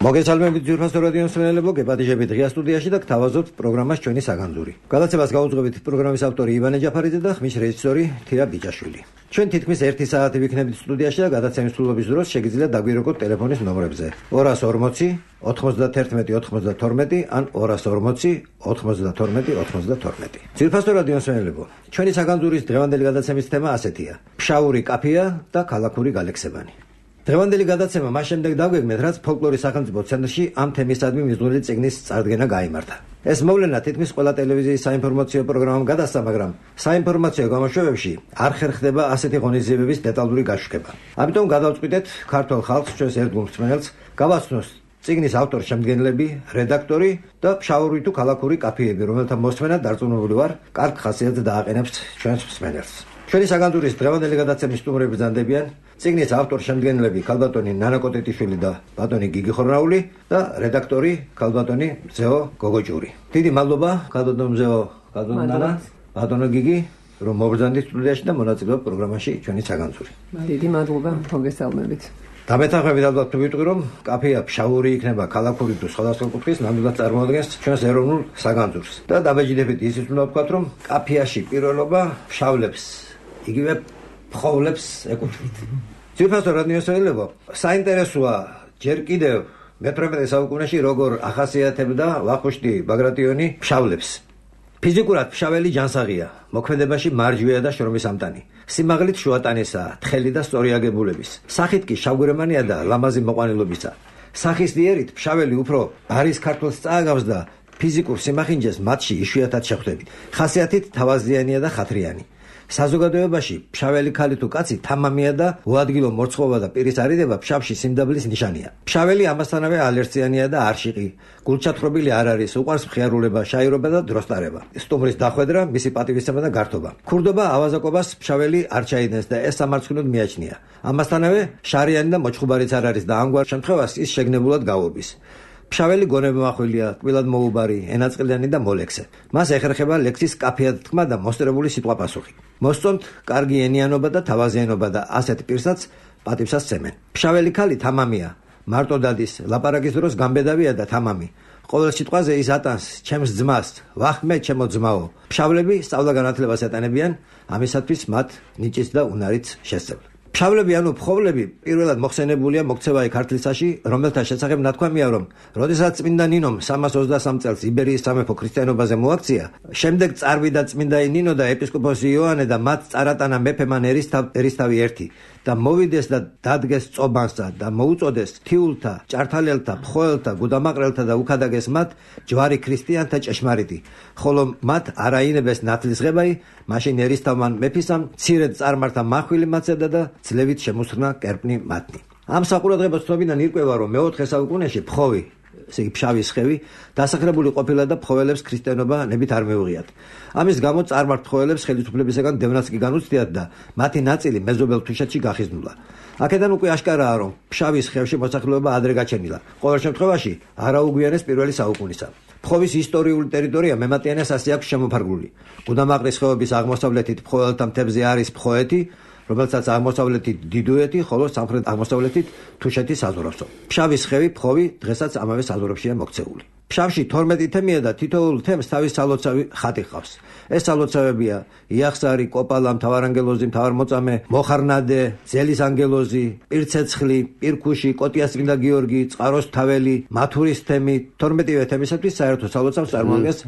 მოგესალმებით ძვირფასო რადიო მსმენელებო, გეპატიჟებით ღია სტუდიაში და გთავაზობთ პროგრამას ჩვენი საგანძური. გადაცემას გაუძღვებით პროგრამის ავტორი ივანე ჯაფარიძე და ხმის რეჟისორი თია ბიჭაშვილი. ჩვენ თითქმის 1 საათი ვიქნებით სტუდიაში და გადაცემის სრულობის დროს შეგიძლიათ დაგვირეკოთ ტელეფონის ნომრებზე 240 91 92 ან 240 92 92. ძვირფასო რადიო მსმენელებო, ჩვენი საგანძურის დღევანდელი გადაცემის თემა ასეთია: ფშაური კაფეა და ქალაქური გალექსებანი. დღევანდელი გადაცემა მას შემდეგ დავგეგმეთ, რაც ფოლკლორის სახელმწიფო ცენტრში ამ თემისადმი მიზნული წიგნის წარდგენა გაიმართა. ეს მოვლენა თითქმის ყველა ტელევიზიის საინფორმაციო პროგრამამ გადასცა, მაგრამ საინფორმაციო გამოშვებებში არ ხერხდება ასეთი ღონისძიებების დეტალური გაშუქება. ამიტომ გადავწყვიტეთ ქართულ ხალხს, ჩვენს ერთგულ მსმენელს, გავაცნოს წიგნის ავტორ-შემდგენლები, რედაქტორი და ფშაური თუ ქალაქური კაფეები, რომელთა მოსმენა დარწმუნებული ვარ, კარგ ხასიათს დააყენებს ჩვენს მსმენელს. ჩვენი საგანძურის დღევანდელი გადაცემის სტუმრები ბრძანდებიან წიგნის ავტორ-შემდგენლები ქალბატონი ნანა კოტეტიშვილი და ბატონი გიგი ხორნაული და რედაქტორი ქალბატონი მზეო გოგოჭური. დიდი მადლობა ქალბატონ მზეო, ქალბატონ ნანა, ბატონო გიგი, რომ მობრძანდით სტუდიაში და მონაწილეობთ პროგრამაში ჩვენი საგანძური. დიდი მადლობა, მოგესალმებით. დამეთანხმებით ალბათ თუ ვიტყვი, რომ კაფეა ფშაური იქნება ქალაქური თუ სხვადასხვა კუთხის, ნამდვილად წარმოადგენს ჩვენს ეროვნულ საგანძურს. და დაბეჭდებით ისიც უნდა ვთქვათ, რომ კაფეაში პირველობა ფშავლებს, იგივე ფხოვლებს ეკუთვნით. ძვირფასო რადიო მსმენელებო, საინტერესოა ჯერ კიდევ მე-18 საუკუნეში როგორ ახასიათებდა ვახუშტი ბაგრატიონი ფშავლებს. ფიზიკურად ფშაველი ჯანსაღია, მოქმედებაში მარჯვეა და შრომის ამტანი. სიმაღლით შუატანისაა, თხელი და სწორი აგებულების. სახით კი შავგვრემანია და ლამაზი მოყვანილობისა. სახის დიერით ფშაველი უფრო არის ქართულს წააგავს და ფიზიკურ სიმახინჯეს მათში იშვიათად შეხვდებით. ხასიათით თავაზიანია და ხათრიანი. საზოგადოებაში ფშაველი ქალი თუ კაცი თამამია და უადგილო მორცხოვა და პირის არიდება ფშავში სიმდაბლის ნიშანია. ფშაველი ამასთანავე ალერციანია და არშიყი. გულჩათხრობილი არ არის, უყვარს მხიარულება, შაირობა და დროსტარება. სტუმრის დახვედრა, მისი პატივისცემა და გართობა. ქურდობა, ავაზაკობას ფშაველი არ ჩაიდენს და ეს სამარცხვინოდ მიაჩნია. ამასთანავე შარიანი და მოჩხუბარიც არ არის და ამგვარ შემთხვევას ის შეგნებულად გაუვლის. ფშაველი გონებმახვილია, კბილად მოუბარი, ენაწყლიანი და მოლექსე. მას ეხერხება ლექსის კაფეად თქმა და მოსწრებული სიტყვა-პასუხი. მოსწონთ კარგი ენიანობა და თავაზიანობა და ასეთ პირსაც პატივსაც სცემენ. ფშაველი ქალი თამამია, მარტო დადის, ლაპარაკის დროს გამბედავია და თამამი. ყოველ სიტყვაზე ის ატანს ჩემს ძმას, ვახმე ჩემო ძმაო. ფშავლები სწავლა-განათლებას ეტანებიან, ამისათვის მათ ნიჭიც და უნარიც შესწავლენ. ფშავლები ანუ ფხოვლები პირველად მოხსენებულია მოქცევაი ქართლისაში, რომელთა შესახებ ნათქვამია, რომ როდესაც წმინდა ნინომ 323 წელს იბერიის სამეფო ქრისტიანობაზე მოაქცია, შემდეგ წარვიდა წმინდა ნინო და ეპისკოპოსი იოანე და მათ წარატანა მეფე მან ერისთავი ერთი და მოვიდეს და დადგეს წობანსა და მოუწოდეს თიულთა, ჭართალელთა, ფხოელთა, გუდამაყრელთა და უქადაგეს მათ ჯვარი ქრისტიანთა ჭეშმარიტი, ხოლო მათ არაინებეს ნათლისღებაი, მაშინ ერისთავმან მეფისამ მცირედ წარმართა მახვილი მაცედა და ძლევით შემოსხნა კერპნი მათნი. ამ საყურადღებო ცნობიდან ირკვევა, რომ მე-4 საუკუნეში ფხოვი, ესე იგი ფშავის ხევი, დასახლებული ყოფილა და ფხოველებს ქრისტიანობა ნებით არ მეუღიათ. ამის გამო წარმართ ფხოველებს ხელისუფლებისაგან დევნაც კი განუცდიათ და მათი ნაწილი მეზობელ თუშეთში გახიზნულა. აქედან უკვე აშკარაა, რომ ფშავის ხევში მოსახლეობა ადრე გაჩენილა. ყოველ შემთხვევაში არაუგვიანეს პირველი საუკუნისა. ფხოვის ისტორიული ტერიტორია მემატიანეს ასე აქვს შემოფარგლული. გუდამაყრის ხეობის აღმოსავლეთით ფხოველთა მთებზე არის ფხოეთი, რომელსაც აღმოსავლეთით დიდუეთი, ხოლო სამხრეთ აღმოსავლეთით თუშეთი საზღვრავსო. ფშავის ხევი, ფხოვი დღესაც ამავე საზღვრებშია მოქცეული. ფშავში 12 თემია და თითოეულ თემს თავის სალოცავი ხატი ჰყავს. ეს სალოცავებია იახსარი, კოპალა, მთავარანგელოზი, მთავარმოწამე, მოხარნადე, ძელის ანგელოზი, პირცეცხლი, პირქუში, კოტიას წმინდა გიორგი, წყაროს თაველი, მათურის თემი. 12 თემისათვის საერთო სალოცავს წარმოადგენს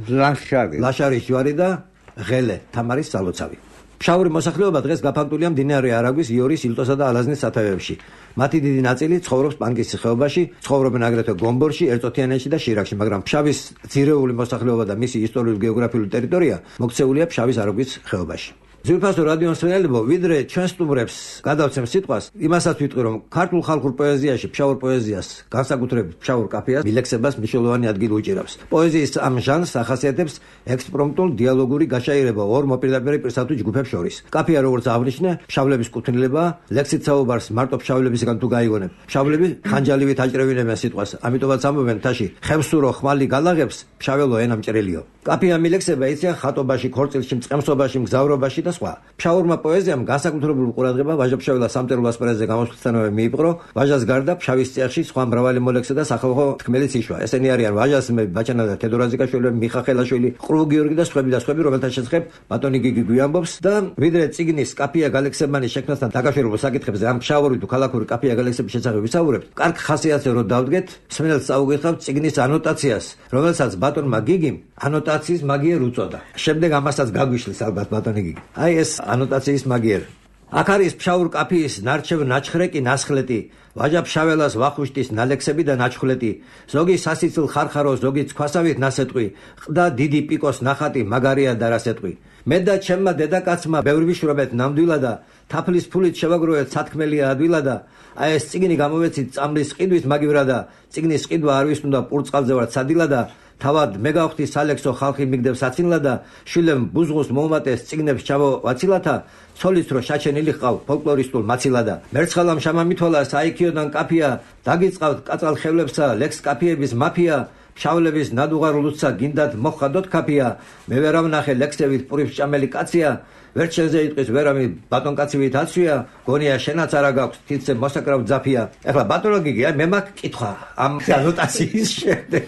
ლაშარის ჯვარი და ღელე, თამარის სალოცავი. ფშაური მოსახლეობა დღეს გაფანტულია მდინარე არაგვის, იორის, ილტოსა და ალაზნის სათავეებში. მათი დიდი ნაწილი ცხოვრობს პანკისის ხეობაში, ცხოვრობენ აგრეთვე გომბორში, ერწოთიანეთში და შირაქში, მაგრამ ფშავის ძირეული მოსახლეობა და მისი ისტორიულ-გეოგრაფიული ტერიტორია მოქცეულია ფშავის არაგვის ხეობაში. ძვირფასო რადიო მსმენელებო, ვიდრე ჩვენ სტუმრებს გადავცემ სიტყვას, იმასაც ვიტყვი, რომ ქართულ ხალხურ პოეზიაში, ფშაურ პოეზიას, განსაკუთრებით ფშაურ კაფეას, მილექსებას მნიშვნელოვანი ადგილი უჭირავს. პოეზიის ამ ჟანრს ახასიათებს ექსპრომტულ დიალოგური გაშაირება ორ მოპირდაპირე პირსა თუ ჯგუფებს შორის. კაფეა, როგორც აღნიშნე, ფშავლების კუთვნილება, ლექსით საუბარს მარტო ფშავლებისგან თუ გაიგონებ. ფშავლები ხანჯალივით აჭრევინებენ სიტყვას, ამიტომაც ამბობენ თაში, ხევსურო ხმალი გალაღებს, ფშაველო ენა მჭრელიო. კაფეა მილექსება იციან ხატობაში, ქორწილში, მწყემსობაში, მგზავრობაში და სხვა. ფშაურმა პოეზიამ განსაკუთრებული ყურადღება ვაჟა-ფშაველას სამწერლო ასპარეზზე გამოსვლისთანავე მიიპყრო. ვაჟას გარდა ფშავის წიაღში სხვა მრავალი მოლექსე და სახალხო თქმელიც იშვა. ესენი არიან ვაჟას მეფე ბაჩანა და თედორაზიკაშვილი, მიხა ხელაშვილი, ყრუ გიორგი და სხვები, რომელთა შესახებ ბატონი გიგი გვიამბობს და ვიდრე წიგნის კაფია გალექსებმანის შექმნასთან დაკავშირებულ საკითხებზე ამ ფშავური თუ ქალაქური კაფია გალექსების შესახებ ვისაუბრებთ. კარგ ხასიათზე რო დავდგეთ, სმენელს წაუგიხავთ წიგნის ანოტაციას, რომელსაც ბატონმა გიგიმ ანოტაციის მაგიერ უწოდა. შემდეგ ამასაც გაგვიშლის ალბათ ბატონი გიგი. აი ეს ანოტაციის მაგიერ. აქ არის ფშაურ კაფიის ნარჩევ ნაჩხრეკი ნასხლეტი, ვაჟა-ფშაველას ვახუშტის ნალექსები და ნაჩხლეტი, ზოგი სასიცილ ხარხარო, ზოგი ცქვასავით ნასეტყვი, ყდა დიდი პიკოს ნახატი, მაგარია და რასეტყვი. მე და ჩემმა დედაკაცმა ბევრი ვიშრობეთ ნამდვილად და თაფლის ფულით შევაგროვეთ სათქმელია ადვილად და აი ეს წიგნი გამოვეცით წამლის ყიდვით მაგივრა და წიგნის ყიდვა არ ვის უნდა პურწყალზე ვარ ცადილა და თავად მე გავხდი სალექსო ხალხი მიგდებს აცინლა და შვილემ ბუზღოს მომატეს წიგნებს ჩავო ვაცილათა ცოლის რო შაჩენილი ყავ ფოლკლორისტულ მაცილა და მერცხალამ შამამითვალა საიქიოდან კაფია დაგიწყავთ კაწალ ხევლებსა ლექს კაფიების მაფია შავლების ნადუღარულუცა გინდათ მოხადოთ კაფია მე ვერავ ნახე ლექსებით პურიფ ჭამელი კაცია ვერ შეზე იტყვის ვერავი ბატონკაცივით აცვია გონია შენაც არა გაქვს თითზე მოსაკრავ ძაფია ახლა ბატონო გიგი მე მაქვს კითხვა ამ ანოტაციის შემდეგ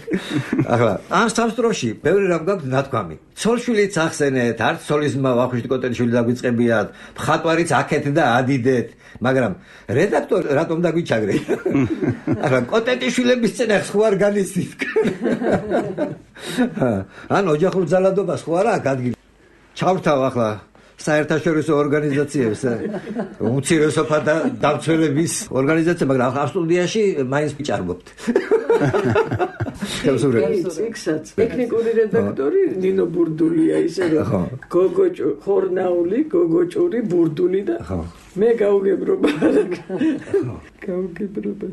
ახლა ამ სამსტროში ბევრი რამ გაქვს ნათქვამი ცოლშვილიც ახსენეთ არც ცოლისმა ვახუშტი კოტელიშვილი დაგვიწყებიათ მხატვარიც აქეთ და ადიდეთ მაგრამ რედაქტორ რატომ დაგვიჩაგრე ახლა კოტეტიშვილების წინახ ხო არ განიცდით ან ოჯახურ ძალადობას ხო არა ადგილი ჩავრთავ ახლა საერთაშორისო ორგანიზაციებს უმცირესობა და დამცველების ორგანიზაცია მაგრამ ამ სტუდიაში მაინც ვიჭარბობთ იქსაც ტექნიკური რედაქტორი ნინო ბურდულია ისე რომ გოგოჭუ ხორნაული გოგოჭური ბურდული და მე გაუგებრობა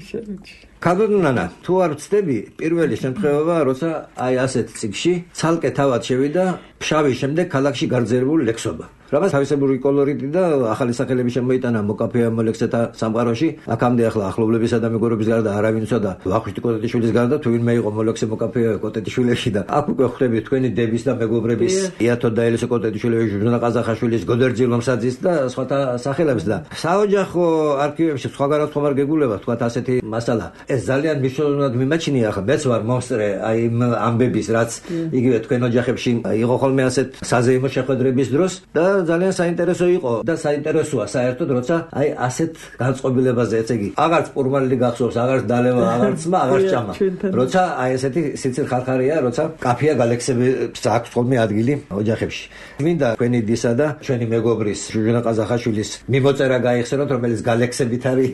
შარაჩი კადონანა თუ არ ვწდები პირველი შემთხვევაა როცა აი ასეთ წიგში ცალკე თავად შევიდა ფშავის შემდეგ ქალაქში გარძელებული ლექსობა რაღაც თავისებური კოლორიტი და ახალი სახელები შემოიტანა მოკაფეა მოლექსეთა სამყაროში აქამდე ახლა ახლობლებისა და მეგობრობის გარდა არავინ იცოდა ვახუშტი კოტეტიშვილის გარდა თუ ვინმე იყო მოლექსე მოკაფეა კოტეტიშვილებში და აქ უკვე ხვდებით თქვენი დების და მეგობრების იათო და ელისო კოტეტიშვილების ჟურნა ყაზახაშვილის გოდერძი ლომსაძის და სხვათა სახელებს და საოჯახო არქივებში სხვაგანაც ხომ არ გეგულება თქვათ ასეთი მასალა ეს ძალიან მნიშვნელოვნად მიმაჩნია ახლა მეც ვარ მომსწრე აი ამბების რაც იგივე თქვენ ოჯახებში იყო ხოლმე ასეთ საზეიმო შეხვედრების დროს და ძალიან საინტერესო იყო და საინტერესოა საერთოდ როცა აი ასეთ განწყობილებაზე ესე იგი აღარც პურმალილი გახსოვს აღარც დალევა აღარც მა აღარც ჭამა როცა აი ესეთი სიცილ ხარხარია როცა კაფია გალექსებს აქვს ხოლმე ადგილი ოჯახებში მინდა თქვენი დისა და ჩვენი მეგობრის ჟუჟუნა ყაზახაშვილის მიმოწერა გაიხსენოთ რომელიც გალექსებით არის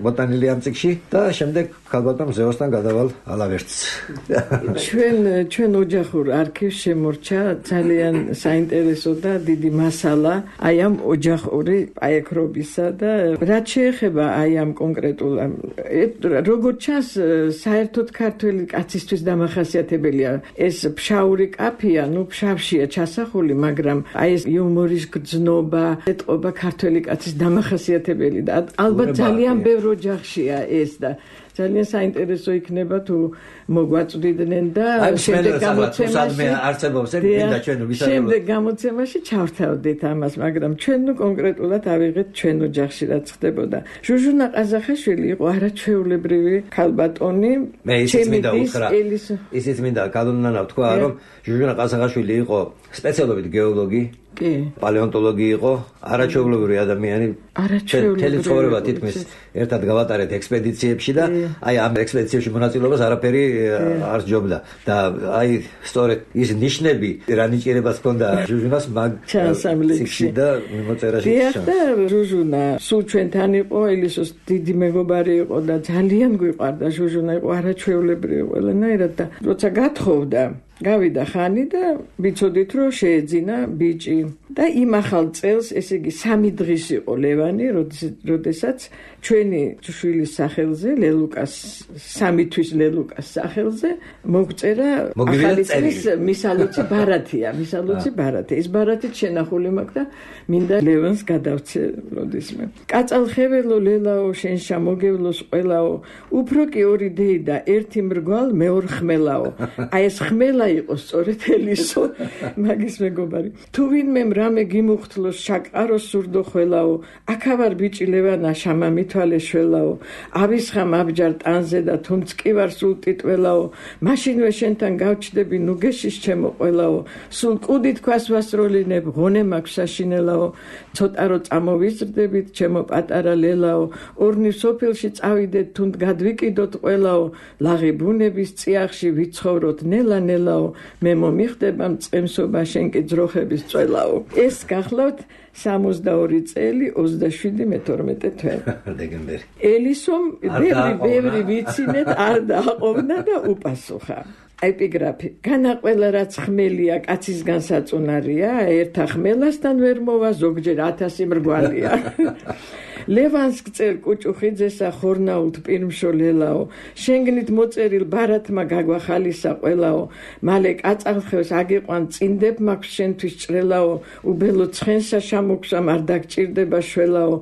ბოტანილი ამ წიგში და შემდეგ ქალბატონ ზეოსთან გადავალ ალავერტს ჩვენ ოჯახურ არქივს შემორჩა ძალიან საინტერესო და დიდი მასალა აი ამ ოჯახური პაექრობისა და რაც შეეხება აი ამ კონკრეტულ როგორც ჩანს საერთოდ ქართველი კაცისთვის დამახასიათებელია ეს ფშაური კაფია ნუ ფშავშია ჩასახული მაგრამ აი ეს იუმორის გრძნობა ეტყობა ქართველი კაცის დამახასიათებელი და ალბათ ძალიან ბევრ ოჯახშია ეს და ძალიან საინტერესო იქნება თუ მოგვაწვდიდნენ და შემდეგ გამოცემაში ჩავთავდით ამას მაგრამ ჩვენ ნუ კონკრეტულად ავიღეთ ჩვენ ოჯახში რაც ხდებოდა ჟუჟუნა ყაზახაშვილი იყო არაჩვეულებრივი ქალბატონი მე ისიც მინდა კადონანა თქვა რომ ჟუჟუნა ყაზახაშვილი იყო სპეციალობით გეოლოგი პალეონტოლოგი იყო არაჩვეულებრივი ადამიანი თელი ცხოვრება თითქმის ერთად გავატარეთ ექსპედიციებში და აი ამ ექსპედიციებში მონაწილეობას არაფერი არ ჯობდა და აი სწორედ ის ნიშნები რა ნიჭიერებას ჰქონდა ჟუჟუნას მაგ ჩანსამლებში და მიმოწერაში და ჟუჟუნა სულ ჩვენთან იყო ელისოს დიდი მეგობარი იყო და ძალიან გვიყვარდა ჟუჟუნა იყო არაჩვეულებრივი ყველანაირად და როცა გათხოვდა გავიდა ხანი და ვიცოდით რომ შეეძინა ბიჭი და იმ ახალ წელს ესე იგი 3 დღის იყო ლევანი როდესაც ჩვენი შვილის სახელზე ლელუკას 3 თვის ლელუკას სახელზე მოგწერა ახალი წლის მისალოცი ბარათია ეს ბარათით შენახული მაქვს და მინდა ლევანს გადავცე როდისმე კაწალ ხეველო ლელაო შენ შემოგევლოს ყველაო უფრო კი ორი დეი და ერთი მრგვალ მეორე ხმელაო აი ეს ხმელა იყო სწორედ ელისო მაგის მეგობარი თუ ვინმე რამე გიმუხთლოს შაკაროს სურდო ხველაო აქავარ ბიჭი ლევანა შამა მithვალე შველაო ავისხამ აბჯარ ტანზე და თუნც კი ვარ სულ ტიტველაო მაშინვე შენთან გავჩდები ნუგეშის ჩემო ყველაო სულ კუდი თქვას ვასროლინებ ღონე მაქვს საშინელაო ცოტა რო წამოვიზრდებით ჩემო პატარა ლელაო ორნი სოფელში წავიდეთ თუნდ გადვიკიდოთ ყველაო ლაღი ბუნების წიაღში ვიცხოვროთ ნელა-ნელაო მე მომიხდება მწყემსობა შენ კი ძროხების წველაო ეს გახლავთ 62 წელი 27 მე-12 თვე დეკემბერი ელისომ ბევრი ვიცინეთ არ დააყოვნა და უპასუხა ეპიგრაფი განა ყველა რაც ხმელია კაცისგან საწუნარია ერთა ხმელასთან ვერ მოვა ზოგჯერ 1000 მრგვალია ლევანს გწერ კუჭუხიძესა ხორნაულთ პირმშოლელაო შენგნით მოწერილ ბარათმა გაგვახალისა ყველაო მალე კაწალხევს აგიყვან წინდებ მაქვს შენთვის ჭრელაო უბელო ცხენსა შემოგვსამ არ დაგჭირდება შველაო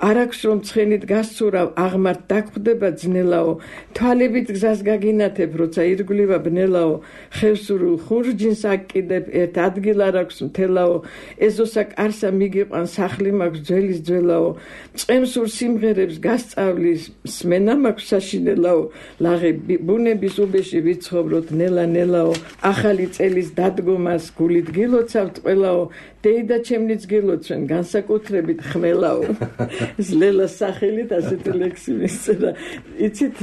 არაქვს რომ ცხენით გასცურავ აღმართ დაგხვდება ძნელაო თვალებით გზას გაგინათებ როცა ირგვლივა ბნელაო ხევსურულ ხურჯინს აკიდებ ერთ ადგილ არ აქვს მთელაო ეზოსა კარსა მიგიყვან სახლი მაქვს ძველის ძველაო წემსურ სიმღერებს გასწავლის სმენა მაქვს საშინელაო ლაღი ბუნების უბეში ვიცხოვროთ ნელა-ნელაო ახალი წელის დადგომას გულით გილოცავთ ყველაო დეიდა ჩემნიც გილოცვენ განსაკუთრებით ხმელაო ზლელას სახელით ასეთი ლექსი მისწერა იცით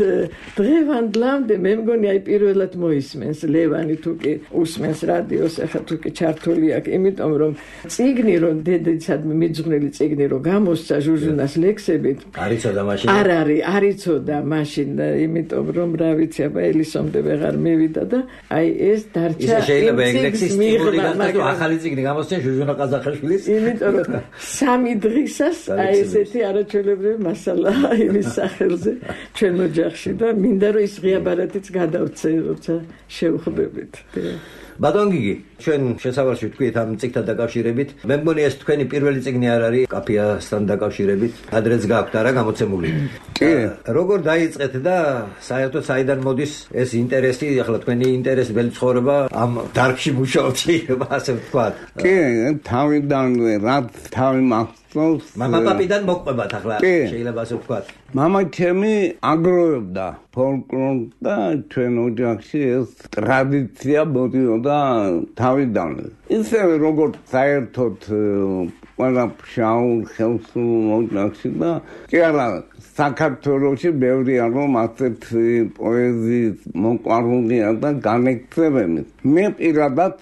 დღევანდლამდე მე მგონი აი პირველად მოისმენს ლევანი თუკი უსმენს რადიოს ახლა თუკი ჩართული აქვს იმიტომ რომ წიგნი რომ დედაცადმე მიძღვნილი წიგნი რომ გამოსცა ჟუჟუნას ლექსებით არიცოდა მაშინ არ არის არიცოდა მაშინ იმიტომ რომ რა ვიცი აბა ელისომდე ვეღარ მივიდა და აი ეს დარჩა ისე შეიძლება ეგ ლექსი სტიმული გახდეს ახალი წიგნი გამოსცენ ჟუჟუნა ყაზახაშვილის იმიტომ რომ სამი დღისას აი ესეთი არაჩვეულებრივი მასალა იმის სახელზე ჩვენ ოჯახში და მინდა რომ ის ღია ბარათიც გადავცე როცა შევხვდებით ბატონ გიგი ჩვენ შესავალში თქვით ამ წიგნთან დაკავშირებით მე მგონი ეს თქვენი პირველი წიგნი არ არის კაფიასთან დაკავშირებით ადრეც გაქვთ არა გამოცემული კი როგორ დაიწყეთ და საერთოდ საიდან მოდის ეს ინტერესი ახლა თქვენი ინტერესებელი ცხოვრება ამ დარგში მუშაობთ ასე ვთქვათ კი თავიდან რაც თავი მამაპაპიდან მოყვებათ ახლა შეიძლება ასე ვთქვათ მამა ჩემი აგროვებდა ფოლკლორს და ჩვენ ოჯახში ეს ტრადიცია მოდიოდა თავიდან ისევე როგორც საერთოდ ყველა ფშაურ ხელსრულ ოჯახში და კი არა საქართველოში ბევრია რომ ასეთ პოეზიის მოყვარულია და განეკცევენ მე პირადად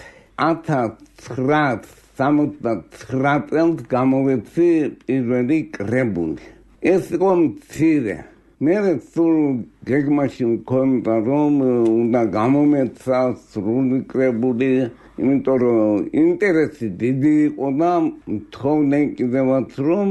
1969 წელს გამოვეცი პირველი კრებული ეს იყო მცირე მე სულ გეგმაში მქონდა რომ უნდა გამომეცა სრული კრებული იმიტომ რომ ინტერესი დიდი იყო და მთხოვდნენ კიდევაც რომ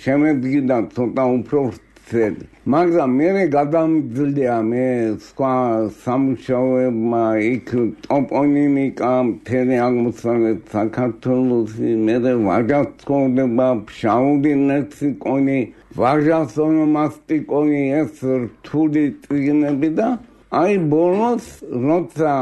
შემედგინა ცოტა უფრო ვცელი მაგრამ მე გადამძლია მე სხვა სამუშაოებმა იქ ტოპონიმიკა მთელი აღმოსავლეთ საქართველოში მე ვაჟას ცხოვრება ფშაური ლექსიკონი ვაჟას ონომასტიკონი ეს რთული წიგნები და აი ბოლოს როცა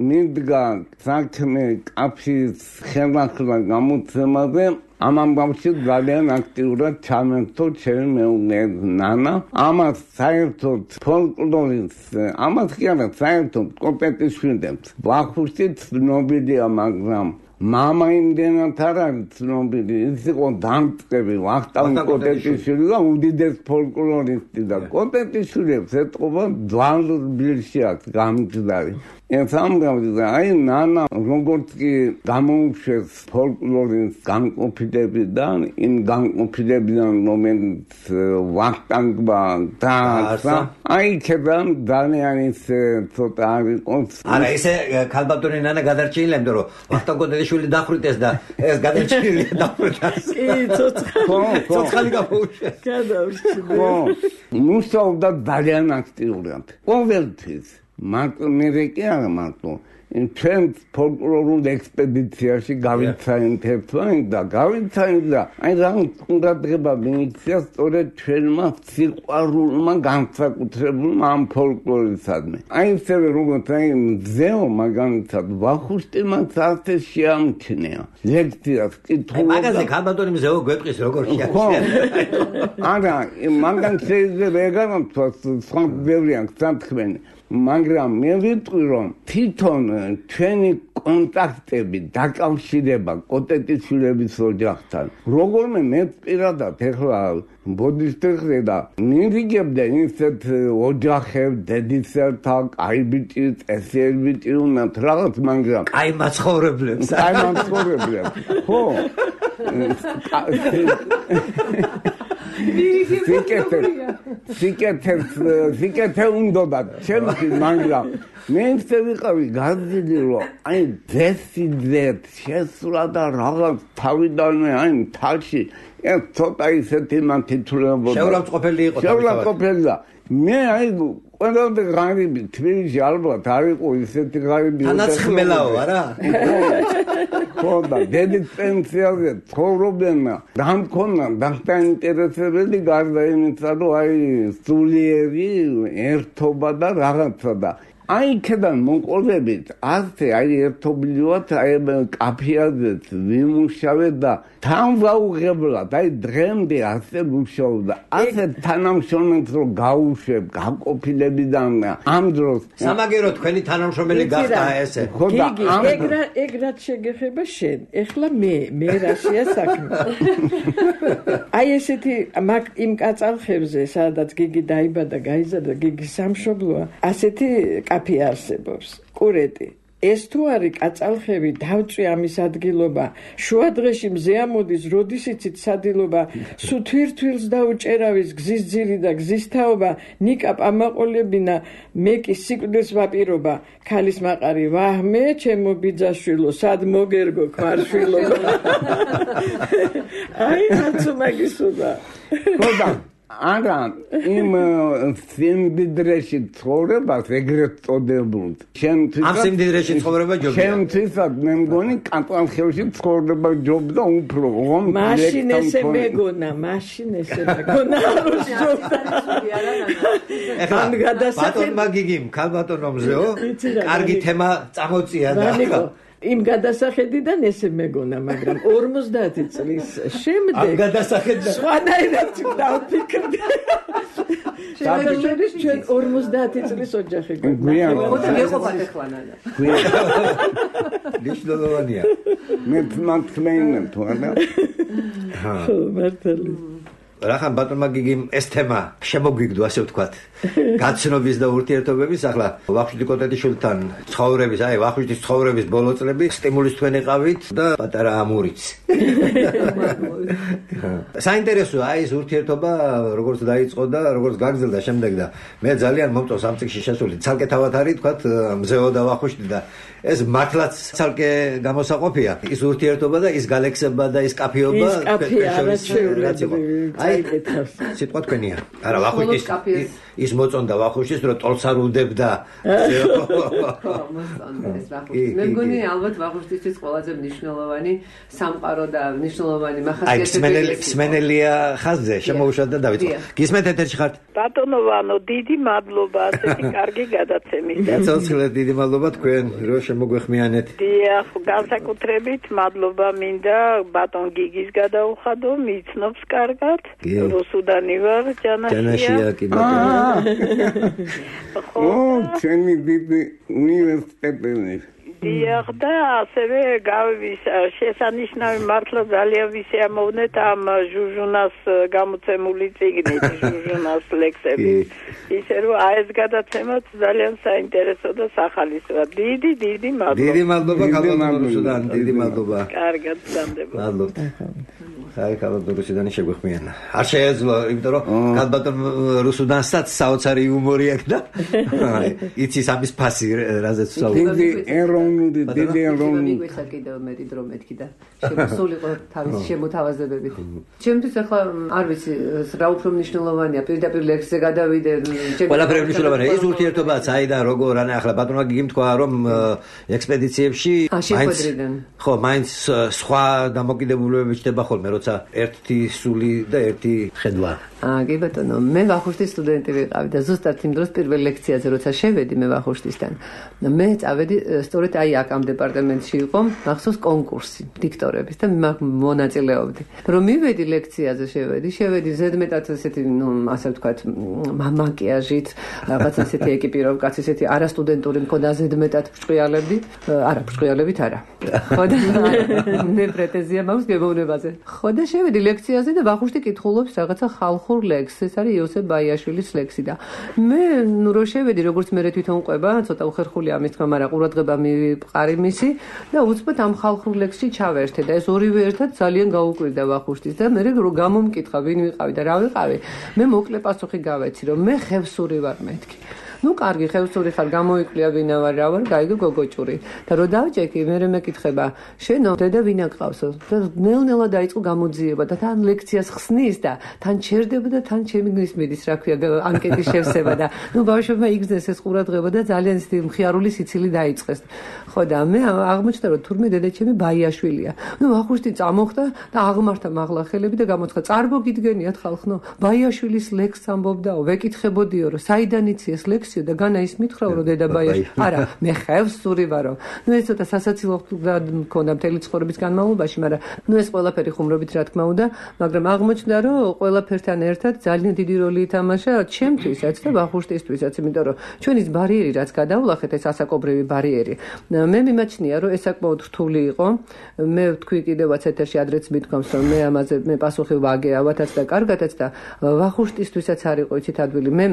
მიდგა საქმე კაფის ხელახლა გამოცემაზე ამ ამბავში ძალიან აქტიურად ჩამერთო ჩემი მეუღლე ნანა ამას საერთოდ ფოლკლორის ამას კი არა საერთოდ კოპეტიშვილებს ბახუშტი ცნობილია მაგრამ მამა იმდენად არ არის ცნობილი ის იყო დამწყები ვახტანგ კოტეტიშვილი და უდიდეს ფოლკლორისტი და კოტეტიშვილებს ეტყობა ძველ ბილში აქვს გამჭდარი ეს ამბავი და აი ნანა როგორც კი გამოუშვეს ფოლკლორის განყოფილებიდან იმ განყოფილებიდან რომელიც ვახტანგმა დაასა აი ქებამ ძალიან ის ცოტა არის არა ესე ქალბატონი ნანა გადარჩენილა იმიტომ რომ ვახტანგ კოტეტიშვილი დახვრიტეს და ეს გადარჩენილია დახვრიტეს კი ცოცხალი გამოუშვეს გადავშიდა მუშაობდა ძალიან აქტიურად ყოველთვის მარტო მე კი არა მარტო ჩვენ ფოლკლორულ ექსპედიციაში გავიცანით ერთმანეთს და გავიცანით და აი რა ყურადღება მიიქცია სწორედ ჩვენმა სიყვარულმა განსაკუთრებულმა ამ ფოლკლორისადმი. აი ისევე როგორც აი მზეო მაგალითად ვახუშტიმაც ასე შეამჩნია ლექციას კითხულობდა. მაგაზე ქალბატონი მზეო გვეტყვის როგორ შეამჩნია. არა, მაგან შეიძლება ეგარამთვას სხვა ბევრია გსამთქმენი. მაგრამ მე ვიტყვი რომ თვითონ ჩვენი კონტაქტები დაკავშირება კოტეტიშვილების ოჯახთან როგორმე მე პირადად ეხლა ბოდიშტეხზე და მივიგებდა ისეთ ოჯახებს დედისერთა კაი ბიჭი წესიერ ბიჭი უნდათ რაღაც მაგრამ კაი მაცხოვრებლებს ხო სიკეთე უნდოდა ჩემთვის მაგრამ მე ვიყავი გაზრდილი რომ აი დესიდეთ შესულა და რაღაც თავიდანვე აი თალში ცოტა ისეთი მან თითულებოდა შეურაცხყოფელი იყო შეურაცხყოფელი და მე აი ყველამდე ღარიბი თბილისში ალბათ არ იყო ისეთი ღარიბი თანაცხმელაო არა ხო და დედის პენსიაზე ცხოვრობენ და მქონდა დაინტერესებელი გარდა იმისა რომ აი სულიერი ერთობა და რაღაცა და აი ქედან მოყოლებით ასე აი ერთობლივად აი კაფეაზეც ვიმუშავე და თან ვაუღებლად აი დღემდე ასე ვმუშაობდა ასე თანამშრომლებს რომ გაუშვებ გაკოფილებიდან ამ დროს სამაგერო თქვენი თანამშრომელი გახდა ესე გიგი ეგ რაც შეგეხება შენ ეხლა მე რაშია საქმე აი ესეთი იმ კაცალხებზე სადაც გიგი დაიბადა გაიზარდა გიგის სამშობლოა ასეთი კაფე არსებობს კურეტი ეს თუ არის კაცალხები დავწვი ამის ადგილობა შუადღეში მზე ამოდის როდის იცით სადილობა სუ თვირთვილს დაუჭერავის გზის ძირი და გზის თაობა ნიკა პამაყოლებინა მე კი სიკვდილს ვაპირობა ქალის მაყარი ვაჰმე ჩემო ბიძაშვილო სად მოგერგო ქმარშვილო აი ხაცუმაგისუდა ხოდა არა იმ სიმდიდრეში ცხოვრებას ეგრეთ წოდებულ ამ სიმდიდრეში ცხოვრება ჯობია ჩემთვისაც მე მგონი კატალხევში ცხოვრება ჯობდა უფრო მაშინ ესე მეგონა ეხლა ბატონმა გიგიმ ქალბატონო მზეო კარგი თემა წამოწია და იმ გადასახედიდან ესე მეგონა მაგრამ 50 წლის შემდეგ ამ გადასახედიდან სხვანაირად დავფიქრდი შევეცდები ჩვენ 50 წლის ოჯახი ხოდა მეყოფათ ეხლანანა ნიშნულოვანია მე მართლმეინებ თუ არა ხო მართალი რახან ბატონმა გიგიმ ეს თემა შემოგვიგდო ასე ვთქვათ გაცნობის და ურთიერთობების ახლა ვახუშტი კოტეტიშვილთან ცხოვრების აი ვახუშტის ცხოვრების ბოლო წლები სტიმულის თქვენ იყავით და პატარა ამურიც საინტერესოა აი ეს ურთიერთობა როგორც დაიწყო და როგორც გაგრძელდა შემდეგ და მე ძალიან მომწონს ამ წიგნში შესული ცალკე თავად არის თქვათ მზეო და ვახუშტი და ეს მართლაც ცალკე გამოსაყოფია ის ურთიერთობა და ის გალექსება და ის კაფეობა ის კაფე არაჩვეულებრივი სიტყვა თქვენია არა ვახუშტის ის მოწონდა ვახუშტის რომ ტოლს არ უდებდა ხო მოსწონდა ეს ვახუშტი მე მგონი ალბათ ვახუშტისთვის ყველაზე მნიშვნელოვანი სამყარო და მნიშვნელოვანი მახასიათებელი აი სმენელია ხაზზე შემოუშვათ და დავიწყო გისმენთ ეთერში ხართ ბატონო ვანო დიდი მადლობა ასეთი კარგი გადაცემით ცოცხლად დიდი მადლობა თქვენ რომ შემოგვეხმიანეთ დიახ განსაკუთრებით მადლობა მინდა ბატონ გიგის გადაუხადო მიცნობს კარგად რუსუდანი ვარ ჯანაშია კი ბატონო ო ჩემი დიდი უნივერსიტეტი დიახ და ასევე შესანიშნავი მართლა ძალიან ვისიამოვნეთ ამ ჟუჟუნას გამოცემული წიგნით ჟუჟუნას ლექსები ისე რომ აი ეს გადაცემაც ძალიან საინტერესო და სახალისოა დიდი მადლობა დიდი მადლობა ქალბატონო რუსუდან დიდი მადლობა კარგად გამდები მადლობა აი ქალბატონ რუსიდანი შეგვეხმიანა. არ შეეძლო, იმიტომ რომ ქალბატონ რუსუდანსაც საოცარი იუმორი აქვს და იცის ამის ფასი, რაზეც ვსაუბრობ. დიდი ეროვნული მიგვეცა კიდევ მეტი დრო მეთქი და შემოსულიყო თავის შემოთავაზებებით. ჩემთვის ახლა არ ვიცი რა უფრო მნიშვნელოვანია, პირდაპირ ლექსზე გადავიდე. ყველაფერი მნიშვნელოვანია. ის ურთიერთობა საიდან როგორ არა ახლა ბატონმა გიგიმ თქვა რომ ექსპედიციებში მაინც სხვა დამოკიდებულებები ჩდება ხოლმე როცა ერთი სული და ერთი ხედვა. კი ბატონო, მე ვახუშტის სტუდენტი ვიყავი და ზუსტად იმ დროს პირველ ლექციაზე როცა შევედი მე ვახუშტისთან, მე წავედი სწორედ აი აქ ამ დეპარტამენტში იყო მახსოვს კონკურსი დიქტორების და მე მონაწილეობდი. რომ მივედი ლექციაზე შევედი ზედმეტად ესეთი, ასე ვთქვათ, მაკიაჟით, რაღაც ესეთი ეკიპიროვკაც, ესეთი არასტუდენტური მქონდა ზედმეტად ბრჭყიალებდი, არა, ბრჭყიალებით არა. ხო და მე პრეტენზია მაქვს გემოვნებაზე. ხო და შევედი ლექციაზე და ვახუშტი კითხულობს რაღაცა ხალხურ ლექსს, ეს არის იოსებ ბაიაშვილის ლექსი და მე რო შევედი, როგორც მე თვითონ ყვება, ცოტა უხერხული ამის თქმა, მაგრამ ყურადღება მივიყარი მისი და უცბად ამ ხალხურ ლექსში ჩავერთე და ეს ორივე ერთად ძალიან გაუკვირდა ვახუშტის და მე რო გამომკითხა, ვინ ვიყავი და რა ვიყავი, მე მოკლე პასუხი გავეცი, რომ მე ხევსური ვარ მეთქი. ნუ კარგი ხევსური ხარ, გამოიკლია ვინა ვარ, რა ვარ, გაიგო გოგოჭური. და რო დავჭექი, მე მეკითხება, შენო დედა ვინა გყავსო? და ნელ-ნელა დაიწყო გამოძიება და თან ლექციას ხსნის და თან ჩერდება და თან ჩემი გისმედის, რა ქვია, ანკეტის შევსება და ნუ ბავშვებმა იგზნეს ეს ყურადღება და ძალიან ისეთი მხიარული სიცილი დაიწყეს. ხო და მე აღმოჩნდა, რომ თურმე დედა ჩემი ბაიაშვილია. ნუ ვახუშტი წამოხდა და აღმართა მაღლა ხელები და გამოცხა, წარბო გიდგენიათ ხალხნო, ბაიაშვილის ლექსს ამბობდაო, ვეკითხებოდიო, რომ საიდან იცი ეს ლექსი და განა ის მითხრა რომ დედა ბაიაშვილი არა მე ხევსური ვარო ნუ ეს ცოტა სასაცილო მქონდა მთელი ცხოვრების განმავლობაში მაგრამ ნუ ეს ყველაფერი ხუმრობით რა თქმა უნდა მაგრამ აღმოჩნდა რომ ყველაფერთან ერთად ძალიან დიდი როლი ითამაშა ჩემთვისაც და ვახუშტისთვისაც იმიტომ რომ ჩვენი ბარიერი რაც გადავლახეთ ეს ასაკობრივი ბარიერი მე მიმაჩნია რომ ეს საკმაოდ რთული იყო მე ვთქვი კიდევაც ეთერში ადრეც მithქვამს რომ მე ამაზე მე პასუხი ვაგე ავათაც და კარგათაც და ვახუშტისთვისაც არ იყო იცით ადვილი მე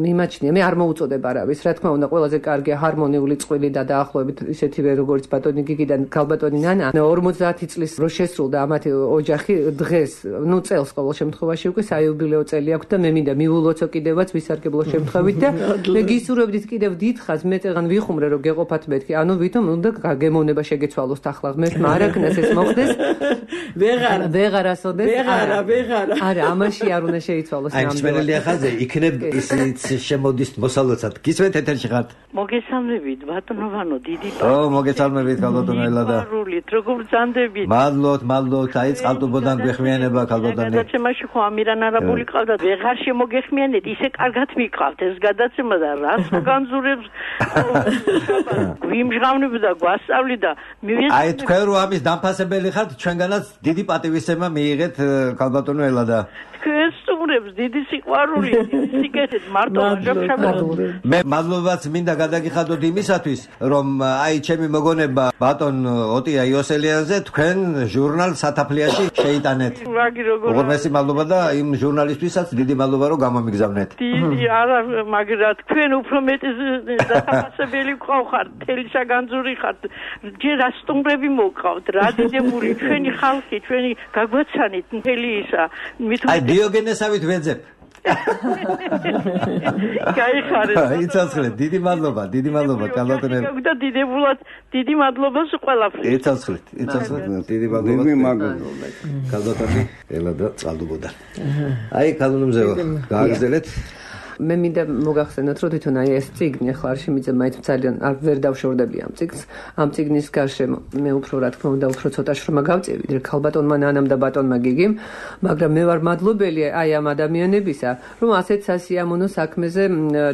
მიმაჩნია მე არ მოუწოდებ არავის რა თქმა უნდა ყველაზე კარგია ჰარმონიული წყვილი და დაახლოებით ისეთივე როგორც ბატონი გიგიდან ქალბატონი ნანა 50 წლის რო შესრულდა ამათი ოჯახი დღეს ნუ წელს ყოველ შემთხვევაში უკვე საიუბილეო წელი აქვს და მე მინდა მიულოცო კიდევაც ვისარგებლო შემთხვევით და მე გისურვებდით კიდევ დიდხანს მე წეგან ვიხუმრე რომ გეყოფათ მეთქი ანუ ვითომ უნდა გემოვნება შეგეცვალოს ახლა ღმერთმა არ აკნას ეს მოხდეს ვეღარასოდეს არა ამაში არ უნდა შეიცვალოს აი მსმენელი ახალზე იქნებ ისიც შემოდის მოსალოცად გისმენთ ეთერში ხართ მოგესალმებით ბატონოვანო დიდი მოგესალმებით ქალბატონო ელადა პარულით როგორ ბრძანდებით მადლობთ აი წყალტუბოდან გვეხმიანება ქალბატონი გადაცემაში ხო ამირან არაბული ყავდა ვეღარ შემოგეხმიანეთ ისე კარგად მიყავთ ეს გადაცემა და რას განზურებს გვიმჟღავნებდა გვასწავლიდა აი თქვენ რო ამის დამფასებელი ხართ ჩვენგანაც დიდი პატივისცემა მიიღეთ ქალბატონო ელადა ეს სტუმრებს დიდი სიყვარული სიკეთით მარტო მე მადლობაც მინდა გადაგიხადოთ იმისათვის რომ აი ჩემი მოგონება ბატონ ოტია იოსელიაზე თქვენ ჟურნალ სათაფლიაში შეიტანეთ უღრმესი მადლობა და იმ ჟურნალისტვისაც დიდი მადლობა რომ გამომიგზავნეთ დიდი არა მაგრამ თქვენ უფრო მეტი დასაფასებელი გყავხართ თელი საგანძური ხართ ჯერ სტუმრები მოგყავთ რა დიდებული ჩვენი ხალხი ჩვენი გაგვაცანით მთელი ისა დიოგენესავით ვეძებ. გაიხარეთ. იცოცხლეთ, დიდი მადლობა ქალბატონო. და დიდებულად დიდი მადლობა ყველაფრით. იცოცხლეთ, დიდი მადლობა. ქალბატონი ელადა წყალტუბოდან. აი ქალბატონზე გააგრძელეთ. მე მინდა მოგახსენოთ რომ თვითონ აი ეს წიგნი ახლა არშემიძე მაინც ძალიან ვერ დავშორდები ამ წიგნს ამ წიგნის გარშემო მე უფრო რა თქმა უნდა უფრო ცოტა შრომა გავწევი ვიდრე ქალბატონმა ნანამ და ბატონმა გიგიმ მაგრამ მე ვარ მადლობელი აი ამ ადამიანებისა რომ ასეთ სასიამოვნო საქმეზე